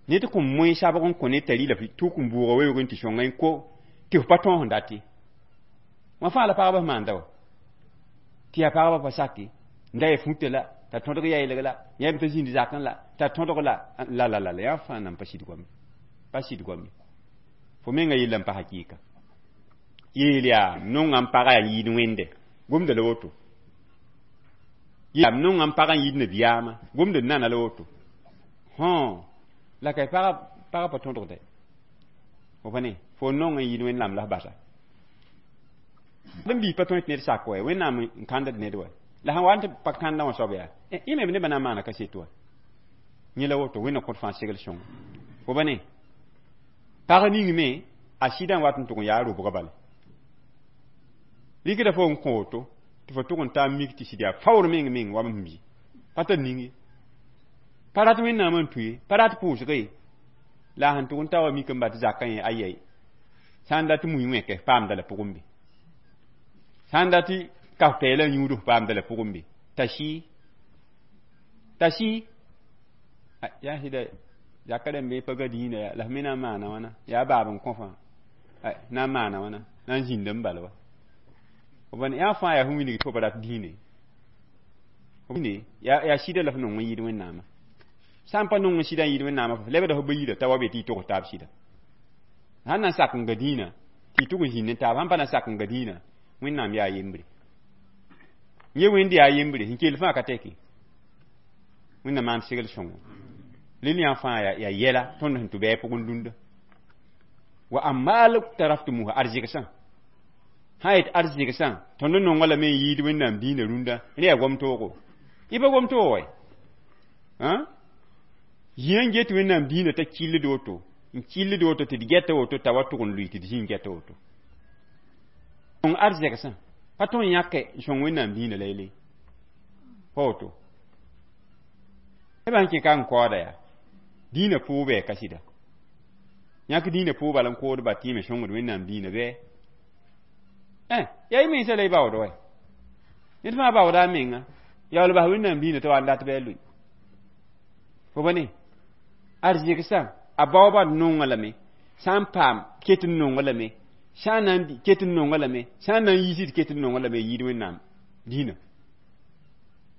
Ned kõ moe sabg n kõ ned t'a rɩla tʋk n bʋʋga weoog n tɩ sõnga n ko tɩ f pa tõos n dat ye. Wã fãa la pagba sẽn maanda wa. Tɩ yaa pagba pa sake. N da ya futa la, t'a tõdg yaɩlg la, yãmb t'a zĩnd zakẽ la, t'a tõdg la, la la la la yã fãa nan pa sɩd goame. Pa sɩd goame. Fo menga yella n pa hakɩɩka. Yeel yaa nongã n pagã yaa n yɩɩd wẽnde. Gomda la woto. Yaa nongã n pagã n yɩɩd nabiyaamã. Gomda nana la woto. Hõ la ka pagã pa tõdgde. Fo pa ne fo nong n yɩɩd Wẽnnaam la f basa. Bãmb biig pa tõe tɩ ned sak wa, Wẽnnaam n kãndd ned wa. La sãn wa n tɩ pa kãndã wã soab yaa, yẽ me nebã na n maana kaset wa. Yẽ la woto Wẽnnaam kõt fãa segl sõngo. Fo pa ne pag ning me a sɩdã n wat n tʋg n yaa robga bala. Rɩkda fo n kõ woto tɩ fo tʋg n taa mik tɩ sɩd yaa faoor meng meng wa m bi. Pa tar ning ye. Pa rat Wẽnnaam n tũ ye, pa rat pʋʋsga ye. La a sẽn tʋg n ta wa mik n bat zakã yẽ ayɛy. Sã n dat mui wẽke paamda la pʋgẽ be. Sã n dat kaf-pɛɛlã yũud f paamda la pʋgẽ be. T'a sɩ. T'a sɩ. Yaa sɩda zaka rãmb pa ga dĩinã yaa la f me na n maana wãna. Yaa baab n kõ fãa. Na n maana wãna. Na n zĩnd n bala wa. Yã fãa yaa fo wilg tɩ fo pa rat dĩinã ye. Yaa sɩda la f nong n yɩɩd Wẽnnaamã. Sã n pa nong n sɩda n yɩɩd Wẽnnaamã f lebda f ba yira t'a wa be tɩ y tog taab sɩda. Sãn na n sak n ga dĩinã tɩ y tʋg n zĩnd ne taab, sãn pa na n sak n ga dĩinã, Wẽnnaam yaa yembre. Yẽ wẽnd yaa yembre, sẽn kell fãa ka tɛke. Wẽnnaam maan segl sõngo. Lel yã fãa yaa yɛla tõnd sẽn tʋ bɩ a pʋgẽ dũnda. Wa amaal taraftumuha arzɩgsã. Sã yet arzɩgsã, tõnd n nonga lame n yɩɩd Wẽnnaam dĩinã rũndã, rẽ yaa gom toogo. Y pa gom toogo wɛ. Zĩã n get Wẽnnaam dĩinã t'a kɩllд woto, n kɩllд woto tɩ d gɛta woto t'a wa tʋg n lʋɩ tɩ d zĩ n gɛta woto. Sõng arzɛgsã, pa tõe n yãke n sõng Wẽnnaam dĩinã la yelle. Pa woto. Nebã sẽn kẽ ka n kaooda yaa, dĩinã pʋʋg bɩ ka sɩda. Yãk dĩinã pʋʋg bala n kood ba tɩ yẽ me sõngd Wẽnnaam dĩinã bɩ? Yaa y mensã la y baood wɛ. Ned fãa baooda a menga. Yaool bas Wẽnnaam dĩinã t'a wa n dat bɩ a lʋɩ. Fo pa ne? Arzɩgsã, a baoobã nonga lame, sã n paam ket n nonga lame, sã n na n ket n nonga lame, sã n na n yiisd ket n nonga lame yɩɩd Wẽnnaam dĩinã.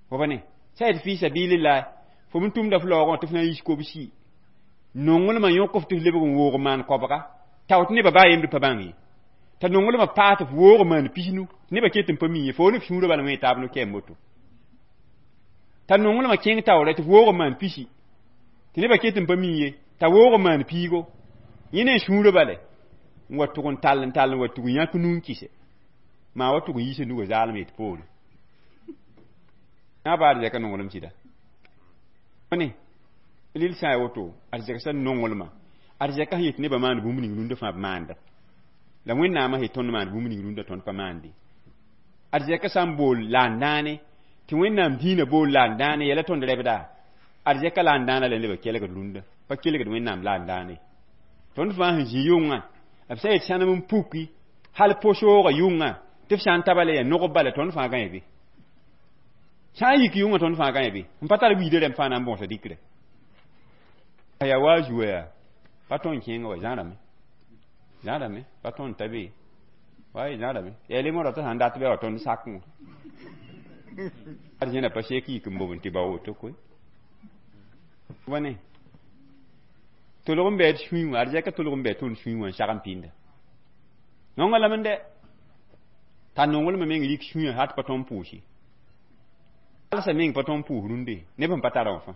Fo pa ne? Sã yet fɩ sabilillah, fo m tʋmda f laoogã tɩ f na n yiis kobsi. Nonglmã yõk f tɩ f lebg n woog maan koabga. Tao tɩ nebã baa yembd pa bãng ye. T'a nonglmã paas tɩ f woog maan pisnu, tɩ nebã ket n pa mi ye, fo ne f sũurã bala wẽ taab no-kɛɛm woto. T'a nonglmã kẽng taoore tɩ f woog maan pisi, tɩ nebã ket n pa mi ye, t'a woog maan piigo. Yẽ ne sũurã bale n wa tʋg n tall n tall n wa tʋg n yãk nu n kɩse. Maa wa tʋg n yiisa nugã zaalem yet poore. Yã baa arzɛka nonglem sɩda. Ne lil sã n ya woto, arzɛka nonglmã, arzɛka sẽn yet nebã maan bũmb ning rũndã fãa b maanda. La Wẽnnaamã sẽn tõnd maan bũmb ning rũndã tõnd pa maande. Arzɛka sã n bool la n dãane, tɩ Wẽnnaam dĩinã bool la n dãane, yɛla tõnd rɛbda. Arzɛka la n dãana la nebã kelgd rũndã, pa kelgd Wẽnnaam la n dãane. Tõnd fãa sẽn zĩ yʋngã, b sã yet sãnem n puki, hal po-soogã yʋngã, tɩ f sã n ta bala yaa nogb bala, tõnd fãa gãe be. Sã n yik yʋngã tõnd fãa gãe be. N pa tar wiidã rãmb fãa na n bõosa dɩkrã. Yaa wa a zua yaa, pa tõe n kẽengã wa zãrame. Zãrame, pa tõe n ta be. Wa zãrame. Yaa le modg tɩ sãn dat bɩ wa tõnd sak wã. Arzẽna pa sek yik n bob n tɩ ba woto koe. Wa ne. Tolg n bɩ d sũy wã, arzɛka tolg n bɩ tõnd sũy wã n sag n pĩnda. Nonga lame n dɛ. T'a nonglmã meng rik sũyã hat pa tõnd pʋʋs ye. Alsa meng pa tõnd pʋʋs rũndẽ neb sẽn pa tara wã fãa.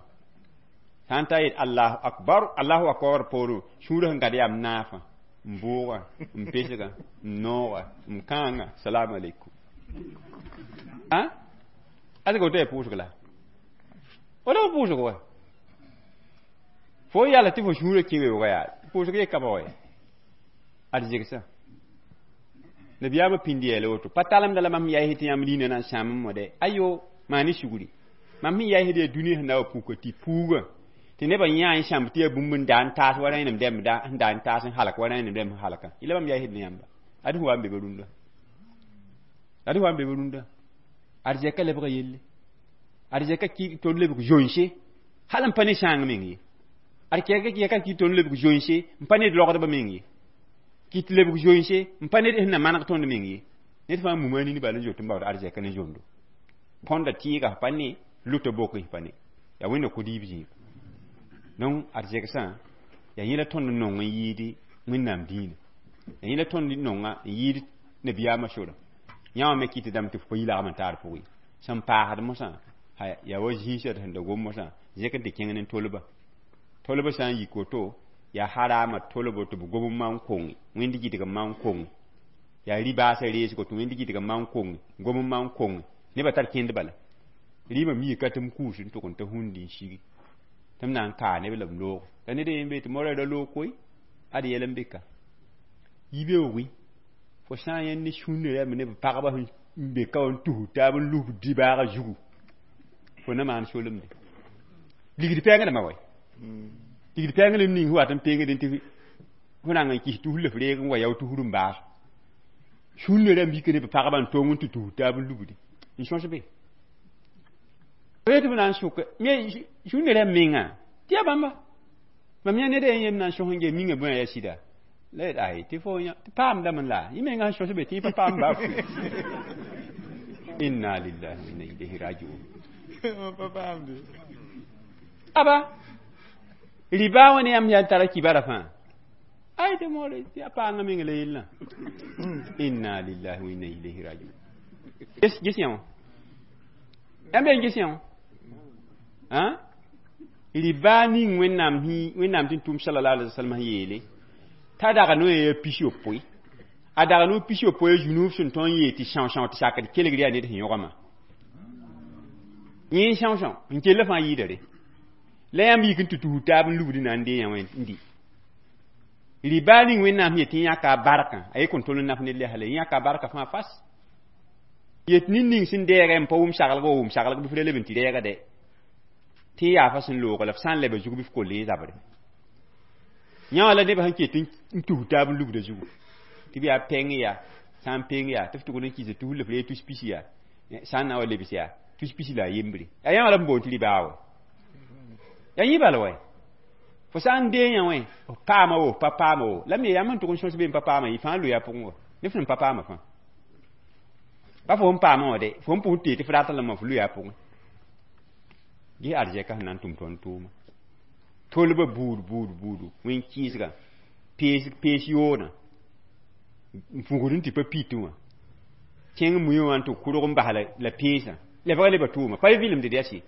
Sã n ta yet Allahu akbar, Allahu akbar poorẽ, sũurã sẽn gãd yaa m naafã, m bʋʋga, m pesga, m nooga, m kãanga, salam aleykum. A woto yaa pʋʋsg la? Woto pa pʋʋsg wa? Fo yala tɩ fo sũurã kẽ weoogã yaa pʋʋsg ye ka ba wa? Ad zegsã. Nabiyaamã pĩnd yeela woto, pa talemda la mam yaɩs tɩ yãmb liinã na n sãam n mode. Ayo, maan ne sugri. Mam sẽn yaɩsd yaa dũni sẽn na wa puka tɩ puugã tɩ nebã yã n sãmb tɩ yaa bũmb n da n taas wa rẽnem dɛmb da n da n taas n halk wa rẽnem dɛmb n halka. Yẽla mam yaɩsd ne yãmba. Ad sẽn wa n be ba rũndã. Ad sẽn wa n be ba rũndã. Arzɛka lebga yelle. Arzɛka ki tõnd lebg zoense. Hal n pa ne sãang meng ye. Arzɛka ki tõnd lebg zoense n pa ned logdbã meng ye. Kɩ tɩ lebg zoense n pa ned sẽn na maneg tõnd meng ye. Ned fãa muma nini bala n zoet n baood arzɛka ne zondo. Põnda tɩɩga pa ne, lʋta bok pa ne. Yaa wẽnna ko-diib zĩiga. Donc arzegsã yaa yẽla tõnd n nong n yɩɩd Wẽnnaam dĩinã. Yaa yẽla tõnd n nonga n yɩɩd nabiyaamã sorã. Yã wã me kɩt dãmb tɩ f pa yi lagm n taar pʋgẽ. Sẽn paasd mosã, yaa wa zĩisã sẽn da gom mosã, zẽk n tɩ kẽng ne tolba. Tolba sã n yik woto, yaa harama tolbo tɩ b gom n maan konge, wẽnd gɩdg n maan konge. Yaa rɩ-baasã reesgo tɩ wẽnd gɩdg n maan konge, gom n maan konge. Nebã tar kẽnd bala. Rɩɩmã miika tɩ m kuus n tʋg n ta hũndi n sigi. Tɩ m na n kaa neb la b loog. La ned n be tɩ moarã ra loog koe, ad yɛl n be ka. Yibeoogẽ, fo sã n yãnd ne sũnã rãmb ne b pagba sẽn be ka wã n tus taab n lusb dibaaga zugu, fo na maan solemde. Ligd pɛɛngdãmbã wa. Ligd pɛɛng la ning wat n pengdẽ tɩ fo rãng n kɩs tus la f reeg n wa yao tusr n baas. Sũnã rãmb yik ne b pagba n tong n tɩ tus taab n lubdi. N sõs be. Tɩ b na n sʋk sũnã rãmb mengã tɩ yaa bãmba. Mam yã ned a yem na n sõs n ge mingã bõe yaa sɩda. La ay tɩ fo tɩ paamdame la yẽ menga sẽn sõs be tɩ yẽ pa paam baa. Inna lillahi wa inna ilayhi rajiun. Aba riba wã ne yãmb yaa tara kibara fãa. Ay tɩ moore tɩ a paanga meng la yellã. Inna lillahi wa inna ilayhi rajiun. Ges yã wã. Yãmb yaa ges yã wã. Riba ning Wẽnnaam Wẽnnaam tɩ tʋm sallallahu alaihi wasallam yeele t'a dag no ya pis yopoe. A dag no pis yopoe zũnuub sẽn tõnd n yeel tɩ são-são tɩ sakd kelgr yaa ned sẽn yõgama. Yẽ são-são n kell fãa yɩɩda re. La yãmb yik n tɩ tus taab n lubd na n dee yã wã n dɩ. Riba ning Wẽnnaam yetɩ yãka a barkã, a ye kõn tol n naf ned la yaa yãka a barkã fãa fas. Yet ned ning sẽn deegã n pa wʋm saglg wa wʋm saglg bɩ f ra leb n tɩ reega dɛ. Tɩ yaa fa sẽn loog la f sã n leba zug bɩ f koll yẽ zabre. Yã wã la nebã sẽn ket n tus taab n lubda zugu. Tɩ b yaa pɛng yaa, sã n peng yaa, tɩ f tʋgd n kɩsa tus la f reeg tus pis yaa, sã n na wa lebs yaa, tus pis la a yembre. Yaa yã wã la b boond tɩ ribaa wa. Yaa yẽ bala wa. Fo sã n dee yã wã, f paama wo, f pa paama wo. La me yãmb n tʋg n sõs be n pa paama yɩ fãa loya pʋgẽ wa. Ne f sẽn pa paama fãa. Pa fo n paama wã de, fo n pʋs tee tɩ f rat lame f loya pʋgẽ. Ges arzɛka sẽn na n tʋm tõnd tʋʋma. Tolba buud buud buudu, wẽn kɩɩsga, pees yoodã, n fugd n tɩ pa pit wã. Kẽng mui wã n tɩ kʋrg n bas la peesã. Lebga leba tʋʋma, pa vɩlemd yaa sɩ.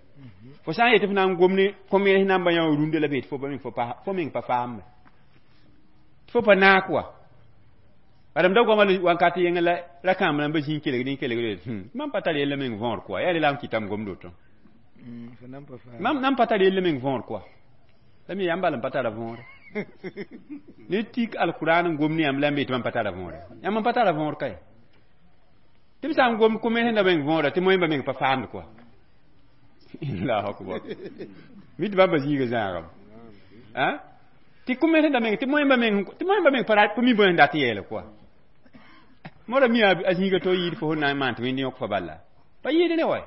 Fo sã n yetɩ f na n gom ne kom-yẽs namba yã wã rũndã la b yetɩ fo meng pa faambe. Fo pa naak wa. Bala m da goama wankat yẽngã la ra-kãamb rãmbã zĩ n kelgd n kelgd mam pa tar yella meng võor kɔa. Yaa rela m kɩtame gomd woto. Mam nan pa tar yella meng võor kɔa. La me yãmb bal n pa tara võore. Ne tik alquran n gom ne yãmb la yãmb yetɩ mam pa tara võore. Yãmb n pa tara võor kae. Tɩ b sã n gom kom sẽn da meng võora tɩ moẽmba meng pa faamd kɔa. Allahu akbar. Mi tɩ bãmba zĩiga zãagame. Tɩ kom sẽn da meng tɩ moẽmba meng pa mi bõe sẽn dat n yeele kɔa. Moora mi a zĩiga to yɩɩd fo sẽn na n maan tɩ wẽnd yõk fa bala. Pa yɩɩd ne wa.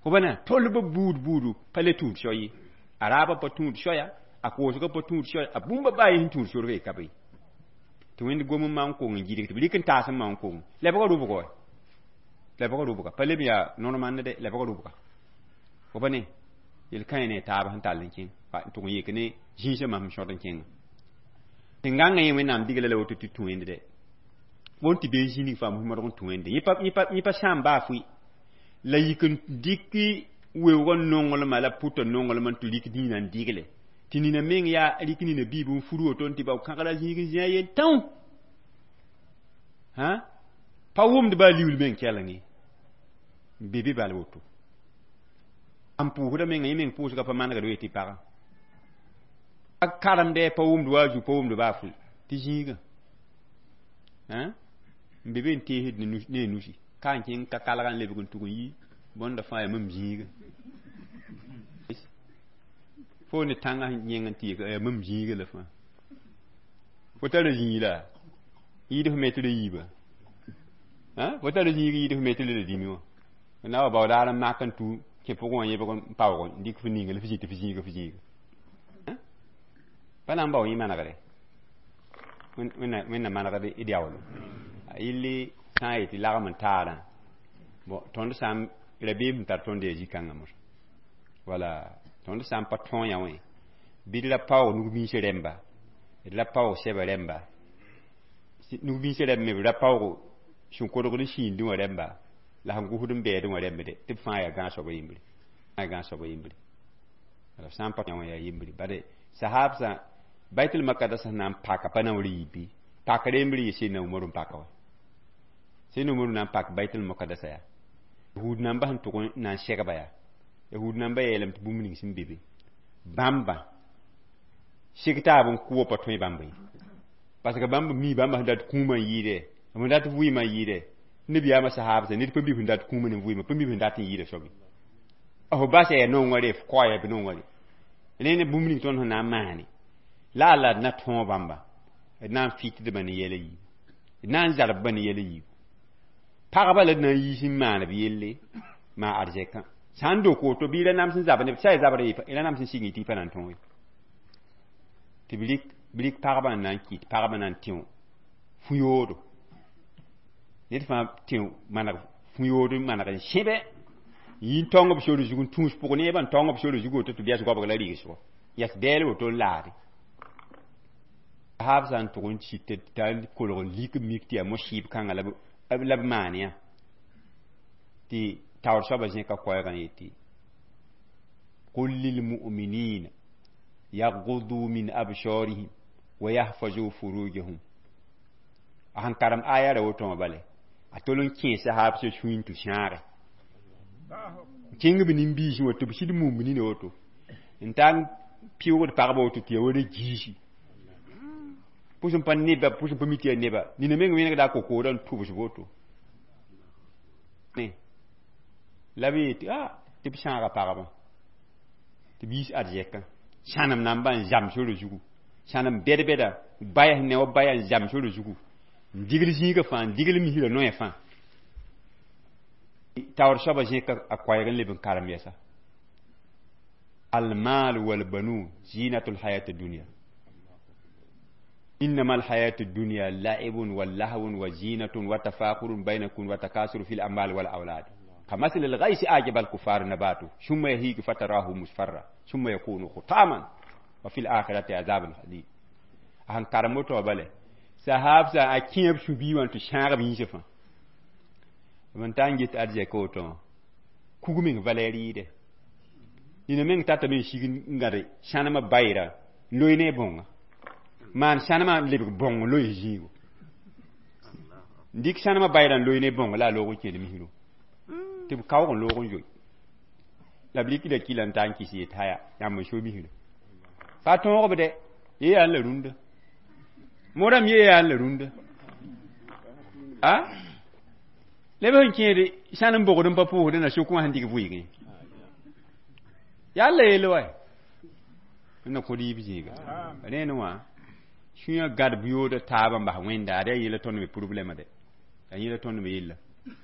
Fo bana tolba buud buudu pa le tũud so ye. A raabã pa tũud soya, a koosgã pa tũud soya, a bũmba baa sẽn tũud sorg ye ka be. Tɩ wẽnd gom n maan kong n gɩdg tɩ b rɩk n taas n maan kong. Lebga rʋbga wa. Lebga rʋbga. Pa leb yaa normal dɛ, lebga rʋbga. Fo pa ne yel-kãe ne taab sẽn tall n kẽng. N tʋg n yek ne zĩisã mam sẽn sõt n kẽngã. Tɩ gãngã yẽ Wẽnnaam digla la woto tɩ tũ wẽnd dɛ. Bõn tɩ bee zĩnig fãa mos modg n tũ wẽnde yẽ pa sãam baa fʋɩ la yik n dɩk weoogã nonglmã la pʋtã nonglmã n tɩ rɩk dĩinã n digle tɩ nina meng yaa rɩk nina biib n fur woto n tɩ bao kãgra zĩig n zĩ a yel tão hã pa wʋmd baa liuul meng keleng ye n be be bal woto n pʋʋsda menga yẽ meng pʋʋsga pa manegd we tɩ pagã a karemdɛ pa wʋmd wa a zu pa wʋmd baa fʋɩ tɩ zĩigã n be be n teesd ne a nusi ka n kẽng ka kalga n lebg n tug n yi bõnda fãa yaa mam zĩigã fo ne tãngã sẽn yẽng n tɩ yaa mam zĩigã la fãa fo tara zĩig la yɩɩd f me tɩ ra yiiba fo tara zĩig yɩɩd f me tɩ ra dĩme wã na wa baoodaar n mak n tu kẽ pʋgẽ wã yẽbg n paoog n dɩk f ninga la f zĩ tɩ f zĩiga f zĩiga pa na n bao yẽ manegre wẽnna manegd d yaoolo a yɩlli sã n yetɩ lagm n taarã bon tõnd sã n rabeem sẽn tar tõnd yaa zĩ-kãngã mosã wala tõnd sã n pa tõog yã wẽ bɩ d ra paoog nug-biis rẽmba d ra paoog sɛba rẽmba nug-biis rẽmb me b ra paoog sẽn kodgd n sĩindẽ wã rẽmba la sẽn gʋsd n bɛɛdẽ wã rẽmbde tɩ b fãa yaa gãag-soaba yembre yaa gãag-soaba yembre la b sã n pa yã wã yaa yembre bare sahabsã baitul makadas sẽn na n paka pa na n rɩ bɩ pakr yembre yɩ Seydina Umaru n paka wa Seydina Umaru na n pak baitul mukadasa yaa yahud namba sẽn tʋg n na n segba yaa yahud namba yeelame tɩ bũmb ning sẽn be be bãmba seg taab n kʋ pa tõe bãmba ye parce que bãmb mi bãmba sẽn dat kũumã n yɩɩdɛ b dat vʋɩɩmã n yɩɩdɛ nabiyaamã sahabsã ned pa mi sẽn dat kũumã ne vʋɩɩmã pa mi sẽn dat n yɩɩda soab ye f basa yaa nongã re f kaoya bɩ nongã re rẽ ne bũmb ning tõnd sẽn na n maane la a la d na tõog bãmba d na n fɩtdbã ne yɛla yiibu d na n zarbba ne yɛla yiibu pagba la d na n yiis n maan b yelle maa arzɛkã sã n dok woto bɩ y ra nams n zab ne sã y zabr y ra nams n sig tɩ y pa na n tõog ye tɩ b rɩk pagba n na n kɩt pagba na n tẽ fũ-yoodo ned fãa tẽ maneg fũ-yood n maneg n sẽbe yɩ n tãong b sor zug n tũus pʋg neebã n tãong b sor zug woto tɩ b yas goabg la rɩgsgo yas bɛɛl woto n laade sahab sã n tʋg n sit t'a kolg n lik n mik tɩ yaa mosɩɩb kãngã la b maan yã tɩ taoor soabã zẽka koɛɛgã yetɩ قل للمؤمنين يغضوا من أبصارهم ويحفظوا فروجهم a sẽn karem aya ra woto wã bale a tol n kẽ sahab sã sũyẽ tɩ sãage kẽng b nin-biisẽ wa tɩ b sɩd mumb nina woto n tar n pɩʋgd pagba woto tɩ ya wa ra giisi pʋs n pa neba pʋs n pa mi tɩ yaa neba nina meng wẽnegda a kokoodã n tʋbs woto ne la b yetɩ a tɩ b sãaga pagba tɩ b yiis arzɛkã sãnem namba n zam sore zugu sãnem bɛd-bɛda baya ne wa baya n zam sore zugu n digl zĩigã fãa n digl misrã noɛ fãa taoor soabã zẽka a koɛɛg n leb n karem yɛsa المال والبنون زينة الحياة الدنيا إنما الحياة الدنيا لعب ولهو وزينة وتفاخر بينكم وتكاثر في الأموال والأولاد كمثل الغيث أعجب الكفار نباته ثم يهيج فتراه مصفرا ثم يكون حطاما وفي الآخرة عذاب شديد a karem woto bale sahab sa a kẽeb su-bii wã tɩ sãag b yĩnsã fãa b n ta n get arzɛka woto kug meng valɛɛr yɩɩdɛ nina meng tatame n sig n gãde sãnemã bayra n loe ne bõnga maan sãnemã n lebg bõng n loe zĩigo n dɩk sãnemã bayra n loe ne bõng la a loog n kẽed misro tɩ b kaoog n loog n zoe la b rɩkda kila n ta n kɩs yet haya yãmb n so misra pa tõog b dɛ ye yaa n la rũndã modame ye yaa n la rũndã a leb sẽn kẽede sãn n bogd n pa pʋʋsd na sʋk wã sẽn dɩk vʋɩgẽ yaa la yelle wa na kõ yiib zĩiga rẽnd wã sũyã gad yooda taabã n bas wẽnda ad yaa yẽla tõnd me problɛma dɛ yaa yẽla tõnd me yella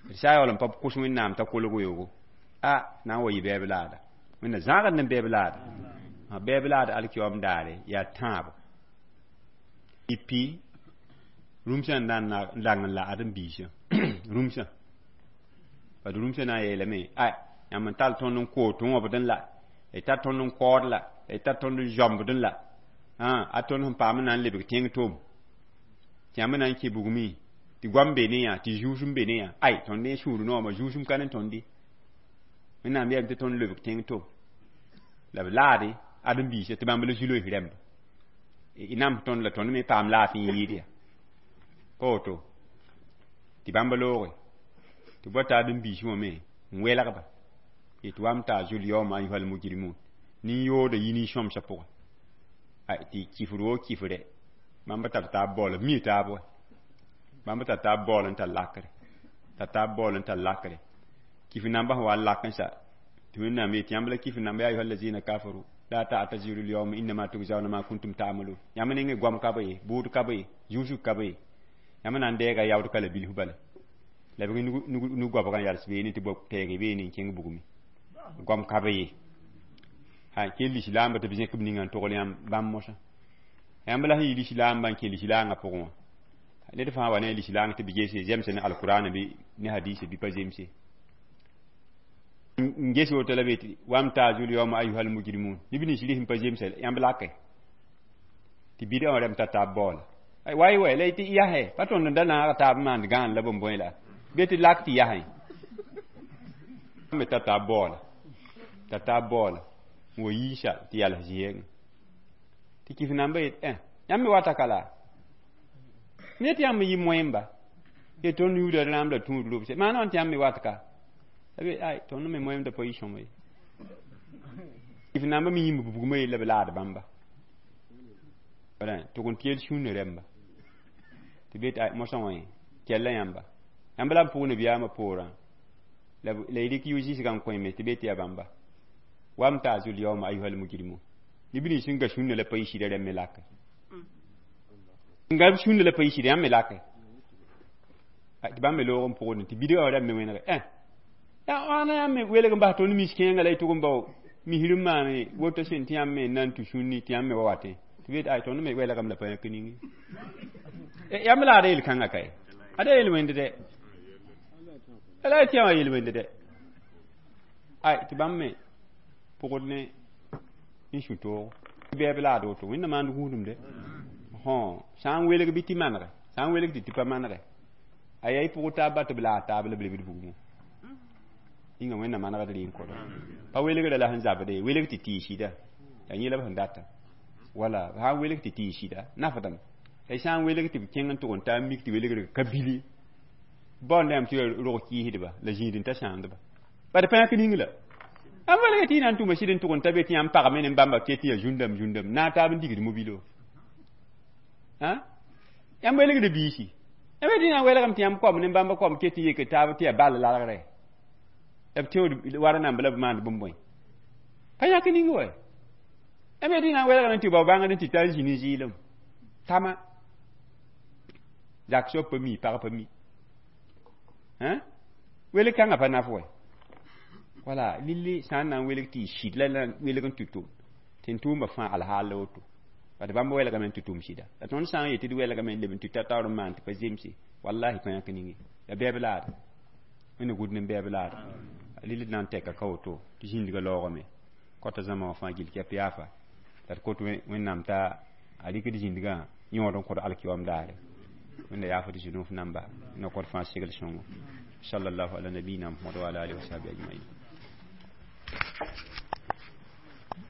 d sã yaool n pa kʋs wẽnnaam t'a kolg weoogo a na n wa yɩ bɛɛb laada wẽnna zãagd ne bɛɛb laada bɛɛb laad alkiyoom daare yaa tãabo ipi rũmsã n na n lang n la ad n biisã rũmsã bad rũmsã na n yeelame a yãmb n tall tõnd n koot n wõbdẽ la y tar tõnd n kaood la y tar tõnd n zãmbdẽ la a tõnd sẽn paam n na n lebg tẽng tom tɩ yãmb na n kẽ bugmẽ Tɩ goam be ne yã, tɩ zũusum be ne yã. Ay, tõnd ne sũur noomã, zũusum ka ne tõnd ye. Wẽnnaam yeelame tɩ tõnd lebg tẽng to. La b laade ãdem-biisã tɩ bãmb la zu-loees rẽmba. Y nams tõnd la tõnd me paam laafɩ n yɩɩd ya. Pa woto tɩ bãmb looge tɩ b wa t'a ãdem-biisẽ wã me n welgba. Yetɩ wamtaazul yaoma ayuhal mujrimun. Nin-yooda yi nin-sõmsã pʋga. Ay, tɩ kifr woo kifrɛ. Bãmb tar taab baool, b mi taab wa. Bãmb tar taab baool n tar lakre. Tar taab baool n tar lakre. Kifr namba sẽn wa n lak n sa. Tɩ Wẽnnaam yetɩ yãmb la kifr namba ya ayuha allazina kafaru la ta'taziru al-yawma innama tujzauna ma kuntum ta'malun. Yãmb nengẽ goam ka be ye, bʋʋd ka be ye, zũusg ka be ye. Yãmb na n deega yaood ka la bilf bala. La b nu-goabgã yals beene tɩ tɛɛg beene n kẽng bugmẽ. Goam ka be ye. Ha kell lislaambã tɩ b zẽk b ninga n togl yãmb bãmb mosã. Yãmb la sẽn yɩ lislaambã n kẽ lislaangã pʋgẽ wã. Ned fãa wa ne lislaang tɩ b gese zemse ne alkurana bɩ ne hadise bɩ pa zemse. N ges woto la be tɩ wamtaazul yaoma ayuhal mujrimun. Neb nins rɩs n pa zemsa yãmb lake. Tɩ bɩdã wã rẽmb tar taab baoola. Way way la tɩ yasɛ pa tõnd n da naag taab n maand gãan la bõe la. Bɩ tɩ lak tɩ yasẽ. Me tar taab baoola. Tar taab baoola. N wa yiisa tɩ yals zɩ-yengẽ. Tɩ kif namba yet ẽ yãmb me wata ka la. Ne tɩ yãmb yɩ moẽmba. Ye tõnd yũuda rãmb la tũud robse. Maana wãn tɩ yãmb me wat ka. La ay tõnd me moẽmda pa yɩ sõma ye. Kif namba me yĩmb bugmã yella b laad bãmba. Wala tʋg n tɩ yel sũurã rẽmba. Tɩ be tɩ ay mosã wã ye kɛlla yãmba. Yãmb la n pʋg nabiyaamã poorã. La y rɩk yʋ-zɩsgã n kõ me tɩ be tɩ yaa bãmba. Wamtaazul yaoma ayuhal mujrimun. Neb nins sẽn ga sũnna la pa yɩ sɩda rẽmb me lake. N ga sũnna la pa yɩ sɩda yãmb me lake. Tɩ bãmb me loog n pʋgdẽ tɩ bidgã wã rãmb me wẽnege. Ẽ yaa wãna yãmb me welg n bas tõnd mis-kẽengã la y tʋg n bao misr n maane woto sẽn tɩ yãmb me n na n tũ sũnni tɩ yãmb me wa watẽ. Tɩ be tɩ ay tõnd me welgame la pa yãk ningi. Yãmb la ada yel-kãngã kae. Ada yel-wẽnd dɛ. La y tɩ yã wã yel-wẽnd dɛ. Ay tɩ bãmb me pʋgd ne n sũ toogo. Bɛɛb laad woto wẽnna maand gũudum dɛ. Hõ sã n welg bɩ tɩ manege, sã n welg tɩ tɩ pa manege. A yaa y pʋgd taab ba tɩ b laad taab la b lebd bugmẽ. Yĩnga wẽnna manegd rɩ n kõda. Pa welgrã la sẽn zabde ye, welg tɩ tɩ y sɩda. Yaa yẽ la b sẽn data. Wala sã n welg tɩ tɩ y sɩda, nafdame. La y sã n welg tɩ b kẽng n tʋg n taa n mik tɩ welgr ka bili. Baoonda yãmb tɩ rog kɩɩsdba la zĩid n ta sãamdba. Bad pa yãk ning la. Ãmb welg tɩ y na n tʋma sɩd n tʋg n ta be tɩ yãmb pagame ne bãmba ket tɩ yaa zũndame zũndame naag taab n digd mobilo. Yãmb welgd biisi. Yãmb tɩ na n welgame tɩ yãmb koam ne bãmba koam ket tɩ yek taab tɩ yaa ball lalgrɛ. La b teood wara namba la b maand bũmb bõe. Pa yãk ning wa. Yãmb tɩ na n welgame tɩ bao bãngd n tɩ tar zĩ ne zɩɩlem. Tama. Zak soab pa mi, pag pa mi. Welg kãngã pa naf wɛ. Wala lilli sã n na n welg tɩ y sɩd la na welg n tɩ tʋm. Tɩ n tʋʋmba fãa alhaal la woto. Bad bãmb welgame n tɩ tʋm sɩda. La tõnd sã n yetɩ d welgame n leb n tɩ ta taoor n maan tɩ pa zemse. Wallahi pa yãk ninge. La bɛɛb laada. Wẽnna gũud ne bɛɛb laada. Lilli d na n tɛka ka woto tɩ zĩndgã laoogame. Kɔta zãma wã fãa gill kɛp yaafa. La d kot Wẽnnaam t'a a rɩkd zĩndgã yõod n kõd alkiwam daare. Wẽnna yaafd zũnuf namba. Na kõd fãa segl sõngo. Sallallahu ala nabiyina Muhammad wa ala alihi wa sahbihi ajma'in.